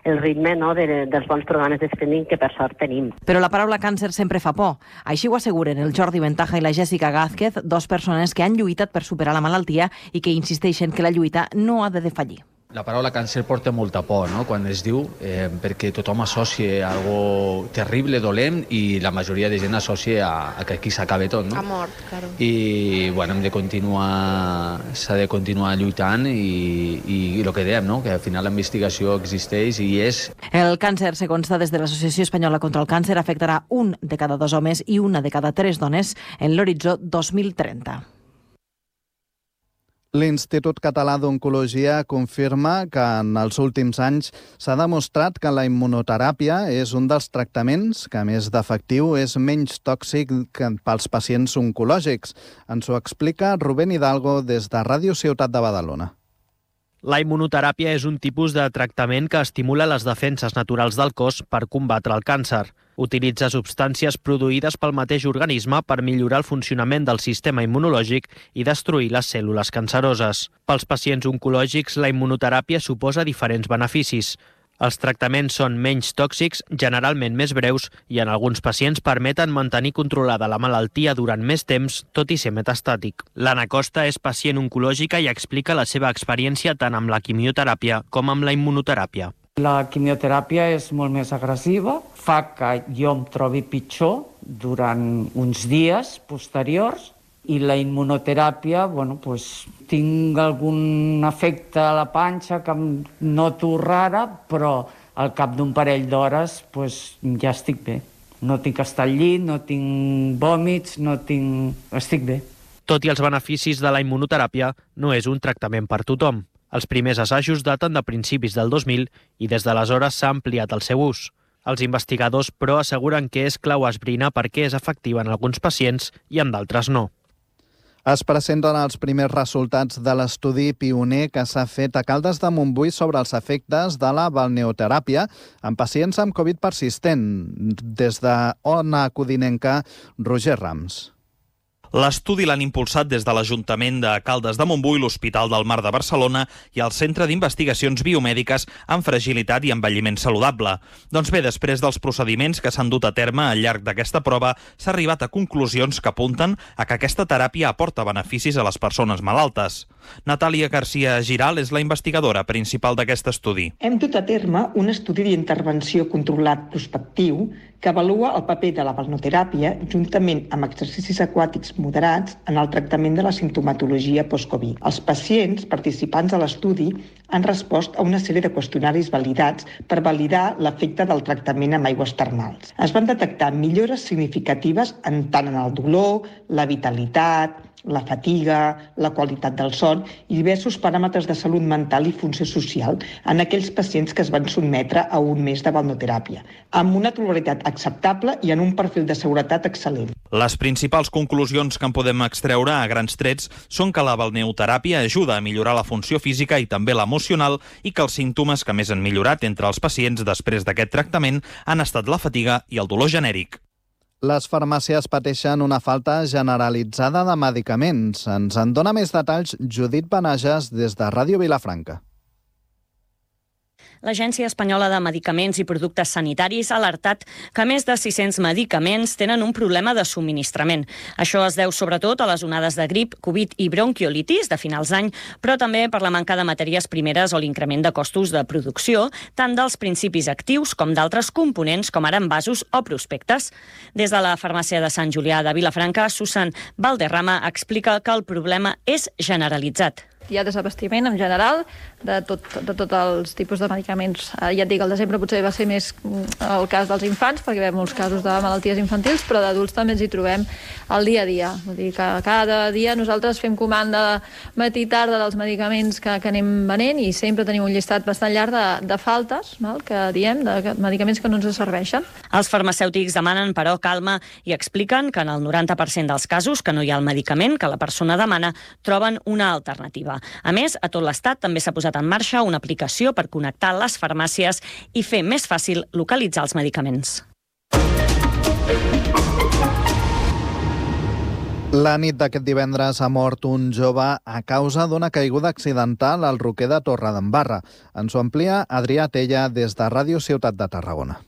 el ritme dels bons programes de screening que per sort tenim. Però la paraula càncer sempre fa por. Així ho asseguren el Jordi Ventaja i la Jessica Gázquez, 2 persones que han lluitat per superar la malaltia i que insisteixen que la lluita no ha de defallir. La paraula càncer porta molta por, no?, quan es diu, perquè tothom associa algo terrible, dolent, i la majoria de gent associa a que aquí s'acaba tot, no? A mort, claro. I, bueno, s'ha de continuar lluitant i el que dèiem, no?, que al final la investigació existeix i és... El càncer, segons dades de l'Associació Espanyola contra el Càncer, afectarà 1 de cada 2 homes i 1 de cada 3 dones en l'horitzó 2030. L'Institut Català d'Oncologia confirma que en els últims anys s'ha demostrat que la immunoteràpia és un dels tractaments que, a més d'efectiu, és menys tòxic pels pacients oncològics. Ens ho explica Rubén Hidalgo des de Ràdio Ciutat de Badalona. La immunoteràpia és un tipus de tractament que estimula les defenses naturals del cos per combatre el càncer. Utilitza substàncies produïdes pel mateix organisme per millorar el funcionament del sistema immunològic i destruir les cèl·lules canceroses. Pels pacients oncològics, la immunoteràpia suposa diferents beneficis. Els tractaments són menys tòxics, generalment més breus, i en alguns pacients permeten mantenir controlada la malaltia durant més temps, tot i ser metastàtic. L'Anna Costa és pacient oncològica i explica la seva experiència tant amb la quimioteràpia com amb la immunoteràpia. La quimioteràpia és molt més agressiva, fa que jo em trobi pitjor durant uns dies posteriors, i la immunoteràpia, tinc algun efecte a la panxa que em noto rara, però al cap d'un parell d'hores ja estic bé. No tinc que estar al llit, no tinc vòmits, estic bé. Tot i els beneficis de la immunoteràpia, no és un tractament per tothom. Els primers assajos daten de principis del 2000 i des d'aleshores s'ha ampliat el seu ús. Els investigadors, però, asseguren que és clau esbrinar per què és efectiva en alguns pacients i en d'altres no. Es presenten els primers resultats de l'estudi pioner que s'ha fet a Caldes de Montbui sobre els efectes de la balneoteràpia en pacients amb Covid persistent. Des de Ona Codinenca, Roger Rams. L'estudi l'han impulsat des de l'Ajuntament de Caldes de Montbui, l'Hospital del Mar de Barcelona i el Centre d'Investigacions Biomèdiques en Fragilitat i Envelliment Saludable. Doncs bé, després dels procediments que s'han dut a terme al llarg d'aquesta prova, s'ha arribat a conclusions que apunten a que aquesta teràpia aporta beneficis a les persones malaltes. Natàlia García Giral és la investigadora principal d'aquest estudi. Hem dut a terme un estudi d'intervenció controlat prospectiu que avalua el paper de la balneoteràpia juntament amb exercicis aquàtics moderats en el tractament de la simptomatologia post-Covid. Els pacients participants a l'estudi han respost a una sèrie de qüestionaris validats per validar l'efecte del tractament amb aigües termals. Es van detectar millores significatives tant en el dolor, la vitalitat, la fatiga, la qualitat del son i diversos paràmetres de salut mental i funció social en aquells pacients que es van sotmetre a un mes de balneoteràpia, amb una toleritat acceptable i en un perfil de seguretat excel·lent. Les principals conclusions que en podem extreure a grans trets són que la balneoteràpia ajuda a millorar la funció física i també l'emocional i que els símptomes que més han millorat entre els pacients després d'aquest tractament han estat la fatiga i el dolor genèric. Les farmàcies pateixen una falta generalitzada de medicaments. Ens en dona més detalls Judit Benages des de Ràdio Vilafranca. L'Agència Espanyola de Medicaments i Productes Sanitaris ha alertat que més de 600 medicaments tenen un problema de subministrament. Això es deu sobretot a les onades de grip, Covid i bronquiolitis de finals d'any, però també per la manca de matèries primeres o l'increment de costos de producció, tant dels principis actius com d'altres components com ara envasos o prospectes. Des de la farmàcia de Sant Julià de Vilafranca, Susan Valderrama explica que el problema és generalitzat. Hi ha desabastiment en general de tots els tipus de medicaments. Ja et dic, al desembre potser va ser més el cas dels infants, perquè hi ha molts casos de malalties infantils, però d'adults també ens hi trobem al dia a dia. Vull dir que cada dia nosaltres fem comanda matí i tarda dels medicaments que anem venent i sempre tenim un llistat bastant llarg de faltes, que diem, de medicaments que no ens serveixen. Els farmacèutics demanen, però, calma i expliquen que en el 90% dels casos que no hi ha el medicament que la persona demana, troben una alternativa. A més, a tot l'Estat també s'ha posat en marxa una aplicació per connectar les farmàcies i fer més fàcil localitzar els medicaments. La nit d'aquest divendres ha mort un jove a causa d'una caiguda accidental al Roquer de Torredembarra. Ens ho amplia Adrià Tella des de Ràdio Ciutat de Tarragona.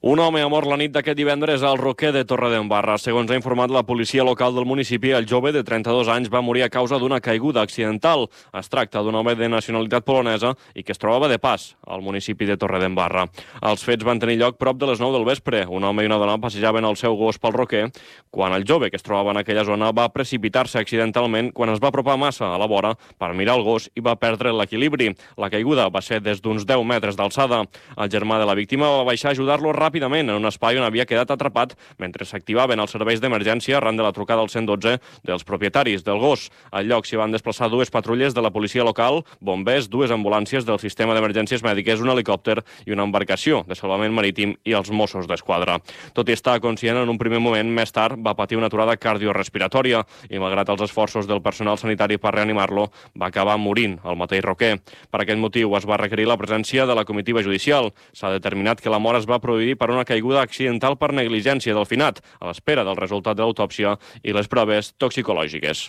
Un home ha mort la nit d'aquest divendres al Roquer de Torredembarra. Segons ha informat la policia local del municipi, el jove de 32 anys va morir a causa d'una caiguda accidental. Es tracta d'un home de nacionalitat polonesa i que es trobava de pas al municipi de Torredembarra. Els fets van tenir lloc prop de les 9 del vespre. Un home i una dona passejaven el seu gos pel Roquer quan el jove que es trobava en aquella zona va precipitar-se accidentalment quan es va apropar massa a la vora per mirar el gos i va perdre l'equilibri. La caiguda va ser des d'uns 10 metres d'alçada. El germà de la víctima va baixar a ajudar-lo ràpidament en un espai on havia quedat atrapat mentre s'activaven els serveis d'emergència arran de la trucada al 112 dels propietaris del gos. Al lloc s'hi van desplaçar dues patrulles de la policia local, bombers, dues ambulàncies del sistema d'emergències mèdiques, un helicòpter i una embarcació de salvament marítim i els Mossos d'Esquadra. Tot i estar conscient en un primer moment, més tard va patir una aturada cardiorespiratòria i, malgrat els esforços del personal sanitari per reanimar-lo, va acabar morint al mateix Roquer. Per aquest motiu es va requerir la presència de la comitiva judicial. S'ha determinat que la mort es va produir per una caiguda accidental per negligència del finat, a l'espera del resultat de l'autòpsia i les proves toxicològiques.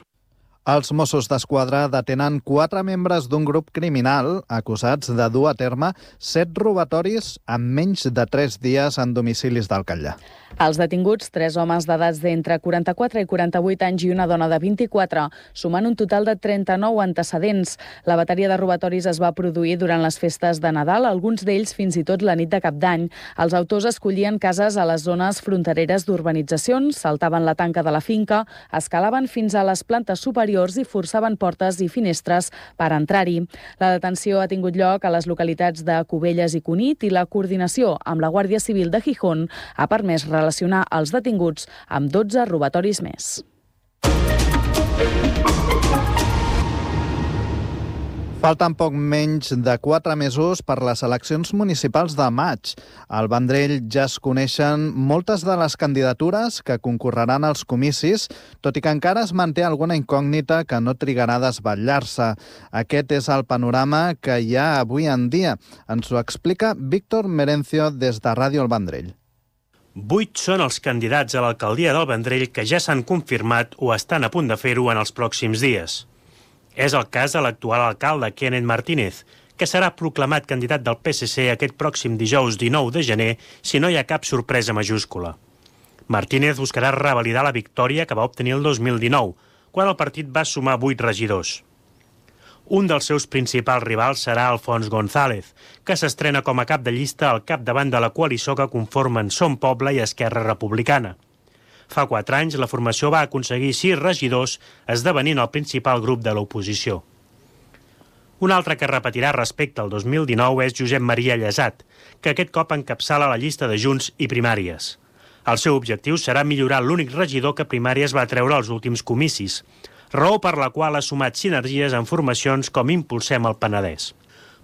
Els Mossos d'Esquadra detenen 4 membres d'un grup criminal acusats de dur a terme 7 robatoris en menys de 3 dies en domicilis del Catllar. Els detinguts, 3 homes d'edats d'entre 44 i 48 anys i una dona de 24, sumant un total de 39 antecedents. La bateria de robatoris es va produir durant les festes de Nadal, alguns d'ells fins i tot la nit de Cap d'Any. Els autors escollien cases a les zones frontereres d'urbanitzacions, saltaven la tanca de la finca, escalaven fins a les plantes superiors i forçaven portes i finestres per entrar-hi. La detenció ha tingut lloc a les localitats de Cubelles i Cunit i la coordinació amb la Guàrdia Civil de Gijón ha permès relacionar els detinguts amb 12 robatoris més. Falten poc menys de 4 mesos per les eleccions municipals de maig. Al Vendrell ja es coneixen moltes de les candidatures que concorreran als comicis, tot i que encara es manté alguna incògnita que no trigarà a desvetllar-se. Aquest és el panorama que hi ha avui en dia. Ens ho explica Víctor Merencio des de Ràdio El Vendrell. 8 són els candidats a l'alcaldia del Vendrell que ja s'han confirmat o estan a punt de fer-ho en els pròxims dies. És el cas de l'actual alcalde Kenneth Martínez, que serà proclamat candidat del PSC aquest pròxim dijous 19 de gener si no hi ha cap sorpresa majúscula. Martínez buscarà revalidar la victòria que va obtenir el 2019, quan el partit va sumar 8 regidors. Un dels seus principals rivals serà Alfons González, que s'estrena com a cap de llista al capdavant de la coalició que conformen Som Poble i Esquerra Republicana. Fa 4 anys, la formació va aconseguir 6 regidors, esdevenint el principal grup de l'oposició. Un altre que repetirà respecte al 2019 és Josep Maria Llesat, que aquest cop encapçala la llista de Junts i Primàries. El seu objectiu serà millorar l'únic regidor que Primàries va treure als últims comicis. raó per la qual ha sumat sinergies en formacions com Impulsem el Penedès.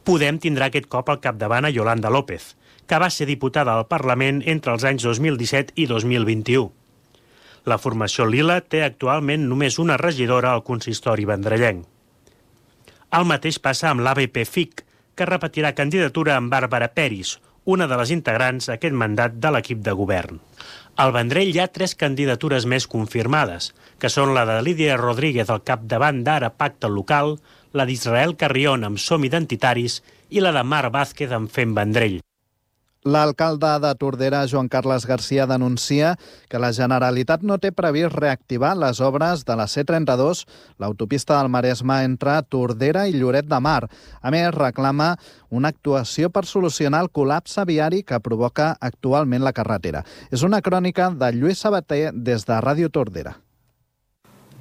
Podem tindrà aquest cop al capdavant a Yolanda López, que va ser diputada al Parlament entre els anys 2017 i 2021. La formació lila té actualment només una regidora al consistori vendrellenc. El mateix passa amb l'ABP-FIC, que repetirà candidatura amb Bàrbara Peris, una de les integrants d'aquest mandat de l'equip de govern. Al Vendrell hi ha 3 candidatures més confirmades, que són la de Lídia Rodríguez al capdavant d'Ara Pacte Local, la d'Israel Carrion amb Som Identitaris i la de Mar Vázquez amb Fem Vendrell. L'alcalde de Tordera, Joan Carles Garcia, denuncia que la Generalitat no té previst reactivar les obres de la C32, l'autopista del Maresme entre Tordera i Lloret de Mar. A més, reclama una actuació per solucionar el col·lapse viari que provoca actualment la carretera. És una crònica de Lluís Sabater des de Ràdio Tordera.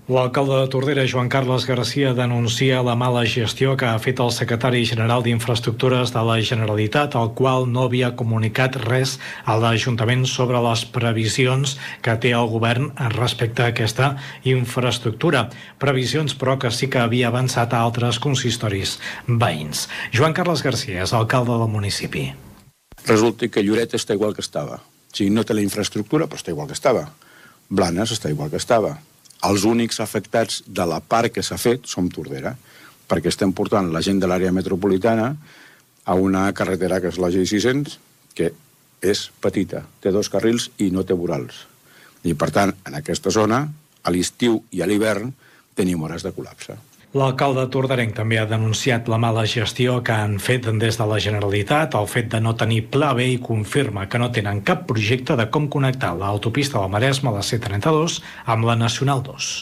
L'alcalde de Tordera, Joan Carles Garcia, denuncia la mala gestió que ha fet el secretari general d'Infraestructures de la Generalitat, el qual no havia comunicat res a l'Ajuntament sobre les previsions que té el govern respecte a aquesta infraestructura. Previsions, però, que sí que havia avançat a altres consistoris veïns. Joan Carles Garcia és alcalde del municipi. Resulta que Lloret està igual que estava. Si no té la infraestructura, però està igual que estava. Blanes està igual que estava. Els únics afectats de la part que s'ha fet som Tordera, perquè estem portant la gent de l'àrea metropolitana a una carretera que és la G600, que és petita, té 2 carrils i no té vorals. I, per tant, en aquesta zona, a l'estiu i a l'hivern, tenim hores de col·lapse. L'alcalde torderenc també ha denunciat la mala gestió que han fet des de la Generalitat, el fet de no tenir pla B, i confirma que no tenen cap projecte de com connectar l'autopista del Maresme, la C32, amb la Nacional 2.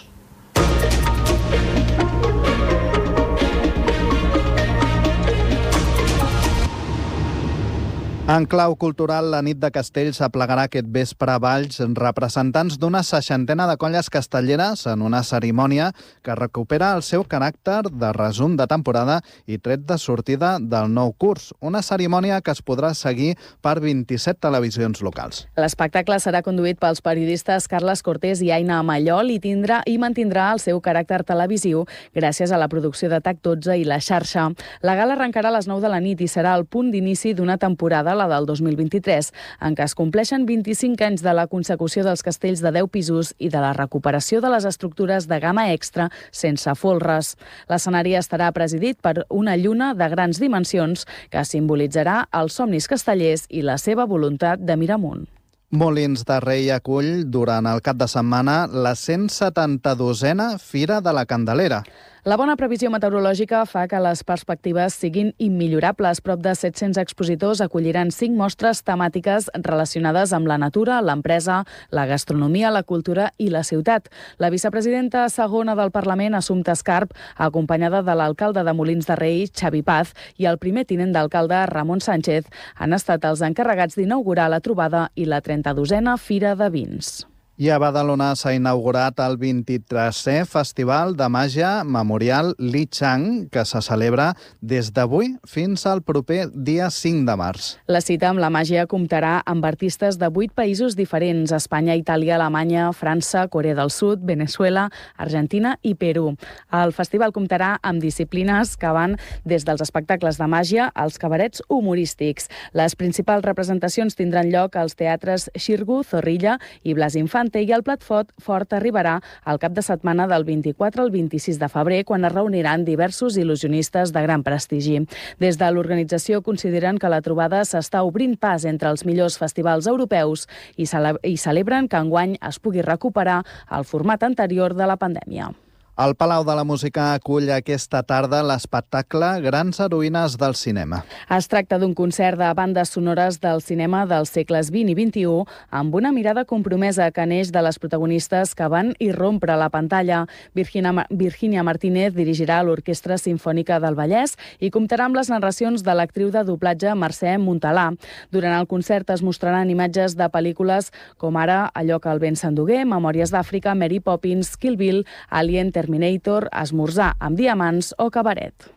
En clau cultural, la nit de Castells aplegarà aquest vespre a Valls representants d'una 60ena de colles castelleres en una cerimònia que recupera el seu caràcter de resum de temporada i tret de sortida del nou curs. Una cerimònia que es podrà seguir per 27 televisions locals. L'espectacle serà conduït pels periodistes Carles Cortés i Aina Mallol i mantindrà el seu caràcter televisiu gràcies a la producció de TAC12 i La Xarxa. La gala arrencarà a les 9 de la nit i serà el punt d'inici d'una temporada, la del 2023, en què es compleixen 25 anys de la consecució dels castells de 10 pisos i de la recuperació de les estructures de gamma extra sense folres. L'escenari estarà presidit per una lluna de grans dimensions que simbolitzarà els somnis castellers i la seva voluntat de mirar amunt. Molins de Rei acull durant el cap de setmana la 172a Fira de la Candelera. La bona previsió meteorològica fa que les perspectives siguin immillorables. Prop de 700 expositors acolliran 5 mostres temàtiques relacionades amb la natura, l'empresa, la gastronomia, la cultura i la ciutat. La vicepresidenta segona del Parlament, Assumpta Escarp, acompanyada de l'alcalde de Molins de Rei, Xavi Paz, i el primer tinent d'alcalde, Ramon Sánchez, han estat els encarregats d'inaugurar la trobada i la 32a Fira de Vins. I a Badalona s'ha inaugurat el 23è Festival de Màgia Memorial Li Chang, que se celebra des d'avui fins al proper dia 5 de març. La cita amb la màgia comptarà amb artistes de 8 països diferents: Espanya, Itàlia, Alemanya, França, Corea del Sud, Veneçuela, Argentina i Perú. El festival comptarà amb disciplines que van des dels espectacles de màgia als cabarets humorístics. Les principals representacions tindran lloc als teatres Xirgu, Zorrilla i Blas Infant, i el plat fort arribarà al cap de setmana del 24 al 26 de febrer, quan es reuniran diversos il·lusionistes de gran prestigi. Des de l'organització consideren que la trobada s'està obrint pas entre els millors festivals europeus i celebren que enguany es pugui recuperar el format anterior de la pandèmia. El Palau de la Música acull aquesta tarda l'espectacle Grans heroïnes del cinema. Es tracta d'un concert de bandes sonores del cinema dels segles XX i XXI amb una mirada compromesa que neix de les protagonistes que van irrompre la pantalla. Virginia Martínez dirigirà l'Orquestra Simfònica del Vallès i comptarà amb les narracions de l'actriu de doblatge Mercè Montalà. Durant el concert es mostraran imatges de pel·lícules com ara Allò que el vent s'endugué, Memòries d'Àfrica, Mary Poppins, Kill Bill, Alien, Terminator, Esmorzar amb diamants o Cabaret.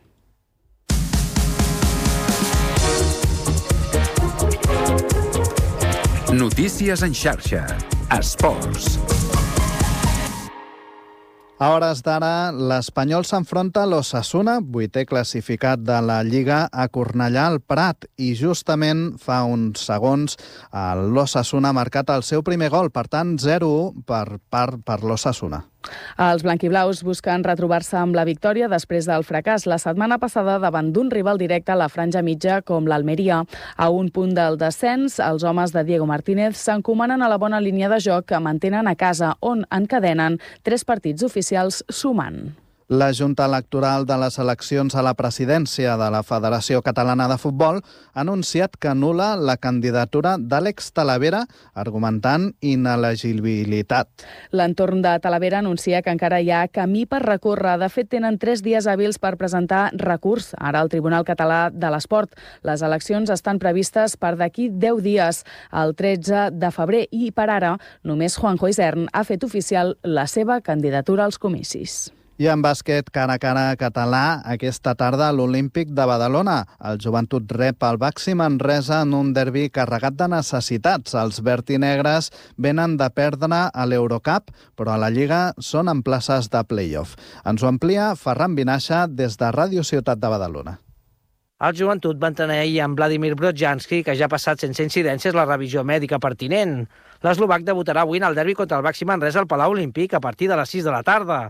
Notícies en xarxa. Esports. A hores d'ara, l'Espanyol s'enfronta a l'Osasuna, 8è classificat de la Lliga, a Cornellà al Prat, i justament fa uns segons l'Osasuna ha marcat el seu primer gol, per tant 0-1 per l'Osasuna. Els blanquiblaus busquen retrobar-se amb la victòria després del fracàs la setmana passada davant d'un rival directe a la franja mitja com l'Almeria. A un punt del descens, els homes de Diego Martínez s'encomanen a la bona línia de joc que mantenen a casa, on encadenen 3 partits oficials sumant. La Junta Electoral de les eleccions a la presidència de la Federació Catalana de Futbol ha anunciat que anul·la la candidatura d'Àlex Talavera, argumentant inelegibilitat. L'entorn de Talavera anuncia que encara hi ha camí per recórrer. De fet, tenen 3 dies hàbils per presentar recurs ara al Tribunal Català de l'Esport. Les eleccions estan previstes per d'aquí 10 dies, el 13 de febrer, i per ara només Juanjo Isern ha fet oficial la seva candidatura als comicis. I en bàsquet, cara a cara català, aquesta tarda a l'Olímpic de Badalona. El Joventut rep el Baxi Manresa en un derbi carregat de necessitats. Els vertinegres venen de perdre a l'Eurocup, però a la Lliga són en places de play-off. Ens ho amplia Ferran Vinaixa des de Ràdio Ciutat de Badalona. El Joventut va entrenar ahir amb Vladimir Brodzianski, que ja ha passat sense incidències la revisió mèdica pertinent. L'eslovac debutarà avui en el derbi contra el Baxi Manresa al Palau Olímpic a partir de les 6 de la tarda.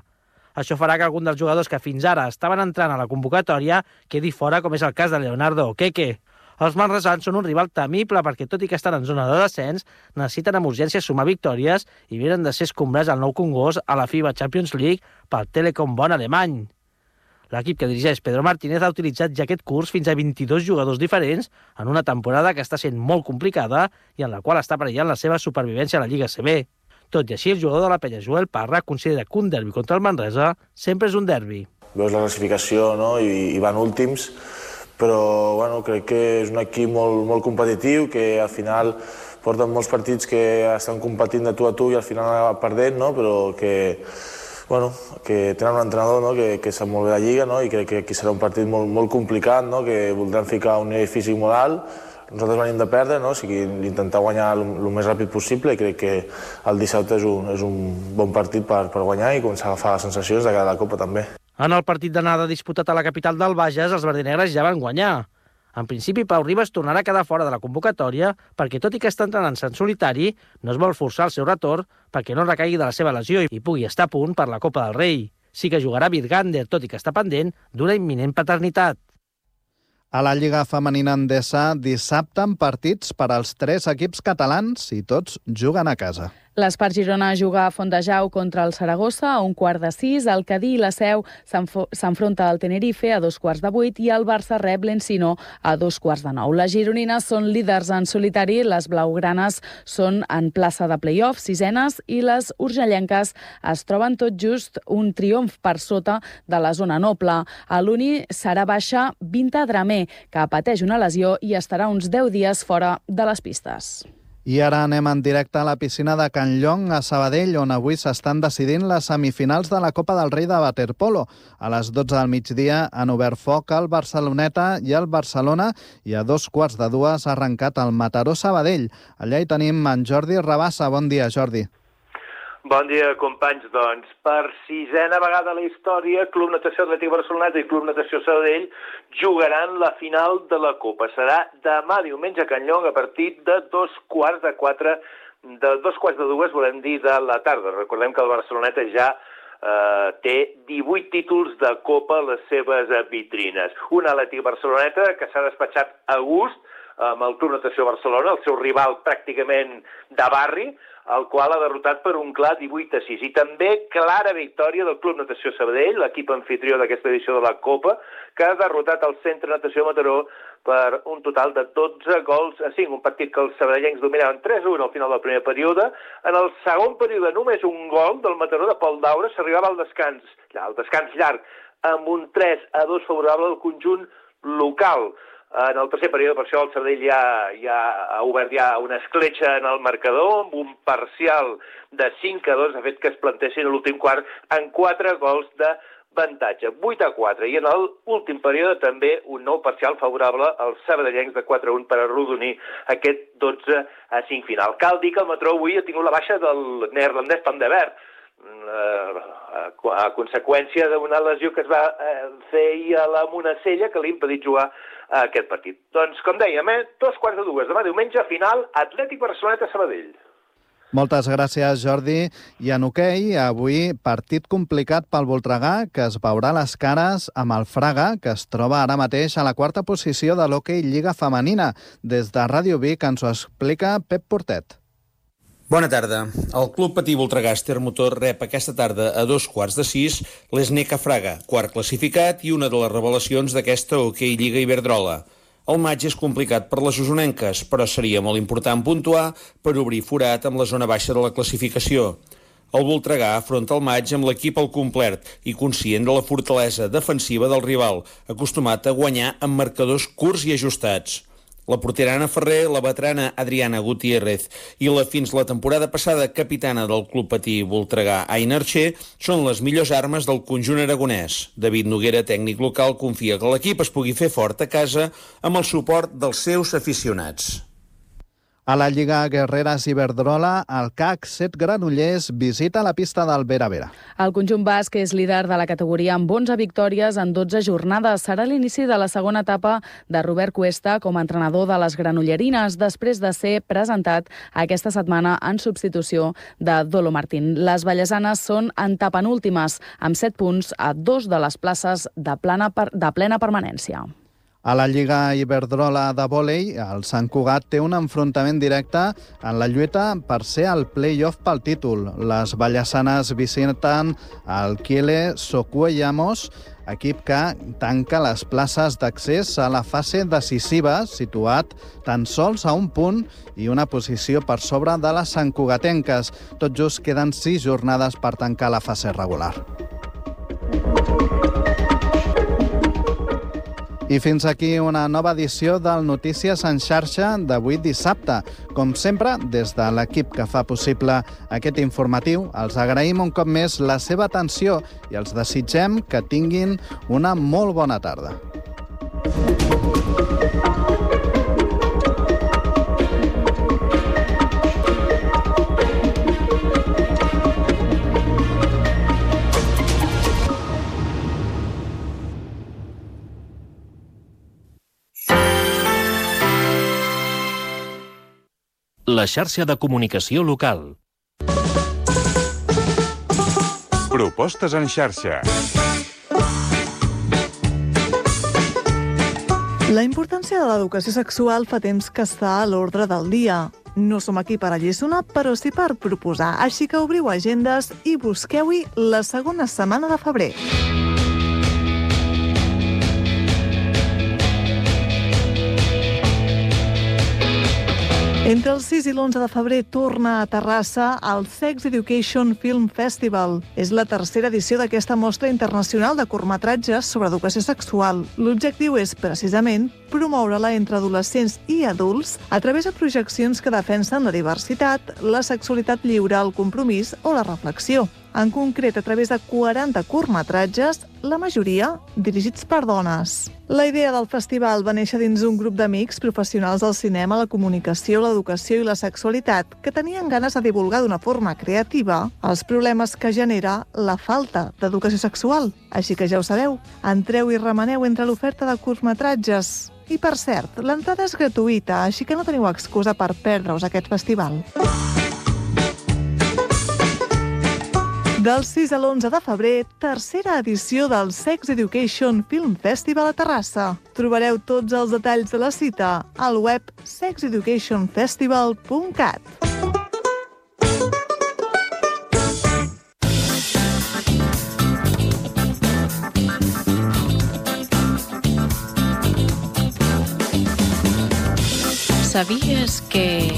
Això farà que algun dels jugadors que fins ara estaven entrant a la convocatòria quedi fora, com és el cas de Leonardo Okeke. Els manresans són un rival temible perquè, tot i que estan en zona de descens, necessiten amb urgència sumar victòries i venen de ser escombrats al Nou Congost a la FIBA Champions League pel Telekom Bonn alemany. L'equip que dirigeix Pedro Martínez ha utilitzat ja aquest curs fins a 22 jugadors diferents en una temporada que està sent molt complicada i en la qual està perillant la seva supervivència a la Lliga CB. Tot i així, el jugador de la Penya, Joel Parra, considera que un derbi contra el Manresa sempre és un derbi. Veus la classificació, no? I van últims, però bueno, crec que és un equip molt competitiu, que al final porten molts partits que estan competint de tu a tu i al final acaben perdent, no? Però que tenen un entrenador, no? que sap molt bé la Lliga, no? I crec que aquí serà un partit molt complicat, no? Que voldran ficar un nivell físic molt alt. Nosaltres venim de perdre, no? O sigui, intentar guanyar el més ràpid possible, i crec que el dissabte és un bon partit per guanyar i començar a agafar les sensacions de cara a la Copa també. En el partit d'anada disputat a la capital del Bages, els verdinegres ja van guanyar. En principi, Pau Ribas tornarà a quedar fora de la convocatòria perquè, tot i que està entrenant-se en solitari, no es vol forçar el seu retorn perquè no recaigui de la seva lesió i pugui estar a punt per la Copa del Rei. Sí que jugarà Virgander, tot i que està pendent d'una imminent paternitat. A la Lliga Femenina Endesa, dissabte en partits per als 3 equips catalans i tots juguen a casa. L'Espart Girona juga a Fontejau contra el Saragossa a 5:45, el Cadí i la Seu s'enfronta al Tenerife a 7:45 i el Barça rep l'Encino a 8:45. Les gironines són líders en solitari, les blaugranes són en plaça de play-off, 6enes, i les urgellenques es troben tot just un triomf per sota de la zona noble. A l'Uni serà baixa Vinta Dramé, que pateix una lesió i estarà uns 10 dies fora de les pistes. I ara anem en directe a la piscina de Can Llong, a Sabadell, on avui s'estan decidint les semifinals de la Copa del Rei de waterpolo. A les 12 del migdia han obert foc el Barceloneta i el Barcelona, i a 2:15 ha arrencat el Mataró Sabadell. Allà hi tenim en Jordi Rabassa. Bon dia, Jordi. Bon dia, companys. Doncs, per 6a vegada a la història, Club Natació Atlètic Barceloneta i Club Natació Sabadell jugaran la final de la Copa. Serà demà diumenge a Can Llong a partir de 2:15, de 2:15, volem dir, de la tarda. Recordem que el Barceloneta ja té 18 títols de Copa a les seves vitrines. Un Atlètic Barceloneta que s'ha despatxat a gust amb el Club Natació Barcelona, el seu rival pràcticament de barri, el qual ha derrotat per un clar 18-6. I també clara victòria del Club Natació Sabadell, l'equip anfitrió d'aquesta edició de la Copa, que ha derrotat el Centre Natació Mataró per un total de 12-5. Un partit que els sabadellencs dominaven 3-1 al final del primer període. En el segon període, només un gol del Mataró de Pol Daura, s'arribava al descans llarg, amb un 3-2 favorable al conjunt local. En el tercer període, per això, el Sabadell ja ha obert una escletxa en el marcador, amb un parcial de 5-2, ha fet que es plantessin a l'últim quart en 4 gols d'avantatge, 8-4. I en l'últim període també un nou parcial favorable als sabadellencs de 4-1 per arrodonir aquest 12-5 final. Cal dir que el Mataró avui ha tingut la baixa del neerlandès Van de Ver. a conseqüència d'una lesió que es va fer ahir a la Monacella que li ha impedit jugar a aquest partit. Doncs, com dèiem, 2:45 demà diumenge, final, Atlètic Barceloneta-Sabadell. Moltes gràcies, Jordi. I en hoquei, avui partit complicat pel Voltregà, que es veurà les cares amb el Fraga, que es troba ara mateix a la quarta posició de l'hoquei Lliga Femenina. Des de Ràdio Vic ens ho explica Pep Portet. Bona tarda. El Club Patí Voltregà Motor rep aquesta tarda a 5:15 l'Esneca Fraga, quart classificat i una de les revelacions d'aquesta hoquei Lliga Iberdrola. El maig és complicat per les usonenques, però seria molt important puntuar per obrir forat amb la zona baixa de la classificació. El Voltregà afronta el maig amb l'equip al complet i conscient de la fortalesa defensiva del rival, acostumat a guanyar amb marcadors curts i ajustats. La portera Anna Ferrer, la veterana Adriana Gutiérrez i la fins la temporada passada capitana del Club Patí Voltregà, Aina Archer, són les millors armes del conjunt aragonès. David Noguera, tècnic local, confia que l'equip es pugui fer fort a casa amb el suport dels seus aficionats. A la Lliga Guerreres Iberdrola, el CAC 7 Granollers visita la pista del Vera Vera. El conjunt basc és líder de la categoria amb 11 victòries en 12 jornades. Serà l'inici de la segona etapa de Robert Cuesta com a entrenador de les granollerines, després de ser presentat aquesta setmana en substitució de Dolo Martín. Les vallesanes són antepenúltimes, amb 7 punts a 2 de les places de plena permanència. A la Lliga Iberdrola de vòlei, el Sant Cugat té un enfrontament directe en la lluita per ser al play-off pel títol. Les vallesanes visiten el Kiele Socuellamos, equip que tanca les places d'accés a la fase decisiva, situat tan sols a un punt i una posició per sobre de les santcugatenques. Tot just queden 6 jornades per tancar la fase regular. I fins aquí una nova edició del Notícies en xarxa d'avui dissabte. Com sempre, des de l'equip que fa possible aquest informatiu, els agraïm un cop més la seva atenció i els desitgem que tinguin una molt bona tarda. La xarxa de comunicació local. Propostes en xarxa. La importància de l'educació sexual fa temps que està a l'ordre del dia. No som aquí per alliçonar, però sí per proposar. Així que obriu agendes i busqueu-hi la segona setmana de febrer. Entre el 6 i l'11 de febrer torna a Terrassa el Sex Education Film Festival. És la tercera edició d'aquesta mostra internacional de curtmetratges sobre educació sexual. L'objectiu és, precisament, promoure-la entre adolescents i adults a través de projeccions que defensen la diversitat, la sexualitat lliure, el compromís o la reflexió. En concret, a través de 40 curtmetratges, la majoria dirigits per dones. La idea del festival va néixer dins un grup d'amics professionals del cinema, la comunicació, l'educació i la sexualitat que tenien ganes de divulgar d'una forma creativa els problemes que genera la falta d'educació sexual. Així que ja ho sabeu, entreu i remeneu entre l'oferta de curtmetratges. I per cert, l'entrada és gratuïta, així que no teniu excusa per perdre-us aquest festival. Del 6 a l'11 de febrer, tercera edició del Sex Education Film Festival a Terrassa. Trobareu tots els detalls de la cita al web sexeducationfestival.cat. ¿Sabías que...?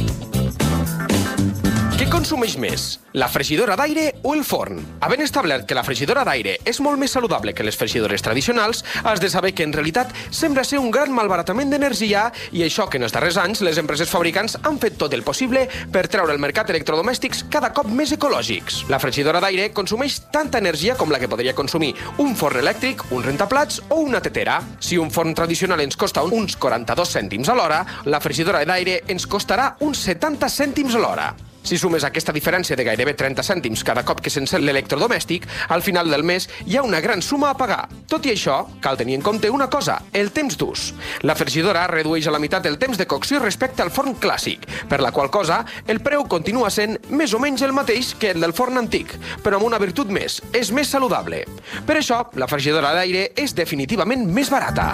Què consumeix més, la fregidora d'aire o el forn? Havent establert que la fregidora d'aire és molt més saludable que les fregidores tradicionals, has de saber que en realitat sembla ser un gran malbaratament d'energia i això que en els darrers anys les empreses fabricants han fet tot el possible per treure al mercat electrodomèstics cada cop més ecològics. La fregidora d'aire consumeix tanta energia com la que podria consumir un forn elèctric, un rentaplats o una tetera. Si un forn tradicional ens costa uns 42 cèntims a l'hora, la fregidora d'aire ens costarà uns 70 cèntims a l'hora. Si sumes aquesta diferència de gairebé 30 cèntims cada cop que s'encén l'electrodomèstic, al final del mes hi ha una gran suma a pagar. Tot i això, cal tenir en compte una cosa, el temps d'ús. La fregidora redueix a la meitat el temps de cocció respecte al forn clàssic, per la qual cosa el preu continua sent més o menys el mateix que el del forn antic, però amb una virtut més, és més saludable. Per això, la fregidora d'aire és definitivament més barata.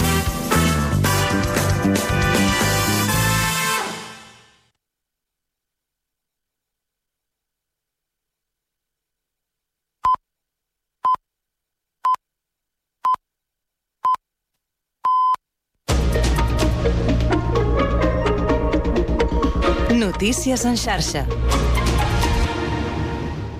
Notícies en xarxa.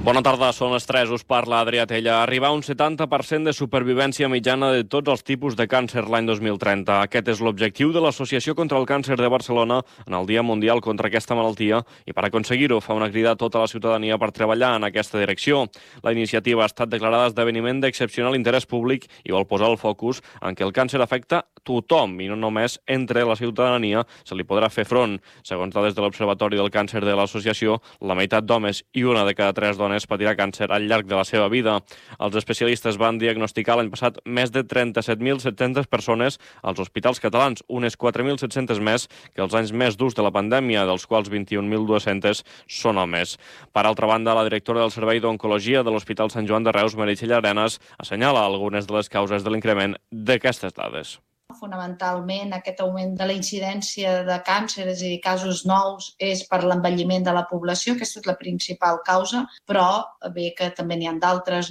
Bona tarda, són les 3, us parla Adrià Tella. Arribar a un 70% de supervivència mitjana de tots els tipus de càncer l'any 2030. Aquest és l'objectiu de l'Associació contra el Càncer de Barcelona en el Dia Mundial contra aquesta malaltia i per aconseguir-ho fa una crida a tota la ciutadania per treballar en aquesta direcció. La iniciativa ha estat declarada esdeveniment d'excepcional interès públic i vol posar el focus en què el càncer afecta tothom i no només entre la ciutadania se li podrà fer front. Segons dades de l'Observatori del Càncer de l'Associació, la meitat d'homes i una de cada 3 dones patirà càncer al llarg de la seva vida. Els especialistes van diagnosticar l'any passat més de 37.700 persones als hospitals catalans, unes 4.700 més que els anys més durs de la pandèmia, dels quals 21.200 són homes. Per altra banda, la directora del Servei d'Oncologia de l'Hospital Sant Joan de Reus, Meritxell Arenas, assenyala algunes de les causes de l'increment d'aquestes dades. Fonamentalment, aquest augment de la incidència de càncer, és a dir, casos nous, és per l'envelliment de la població, aquesta és la principal causa, però bé que també n'hi ha d'altres.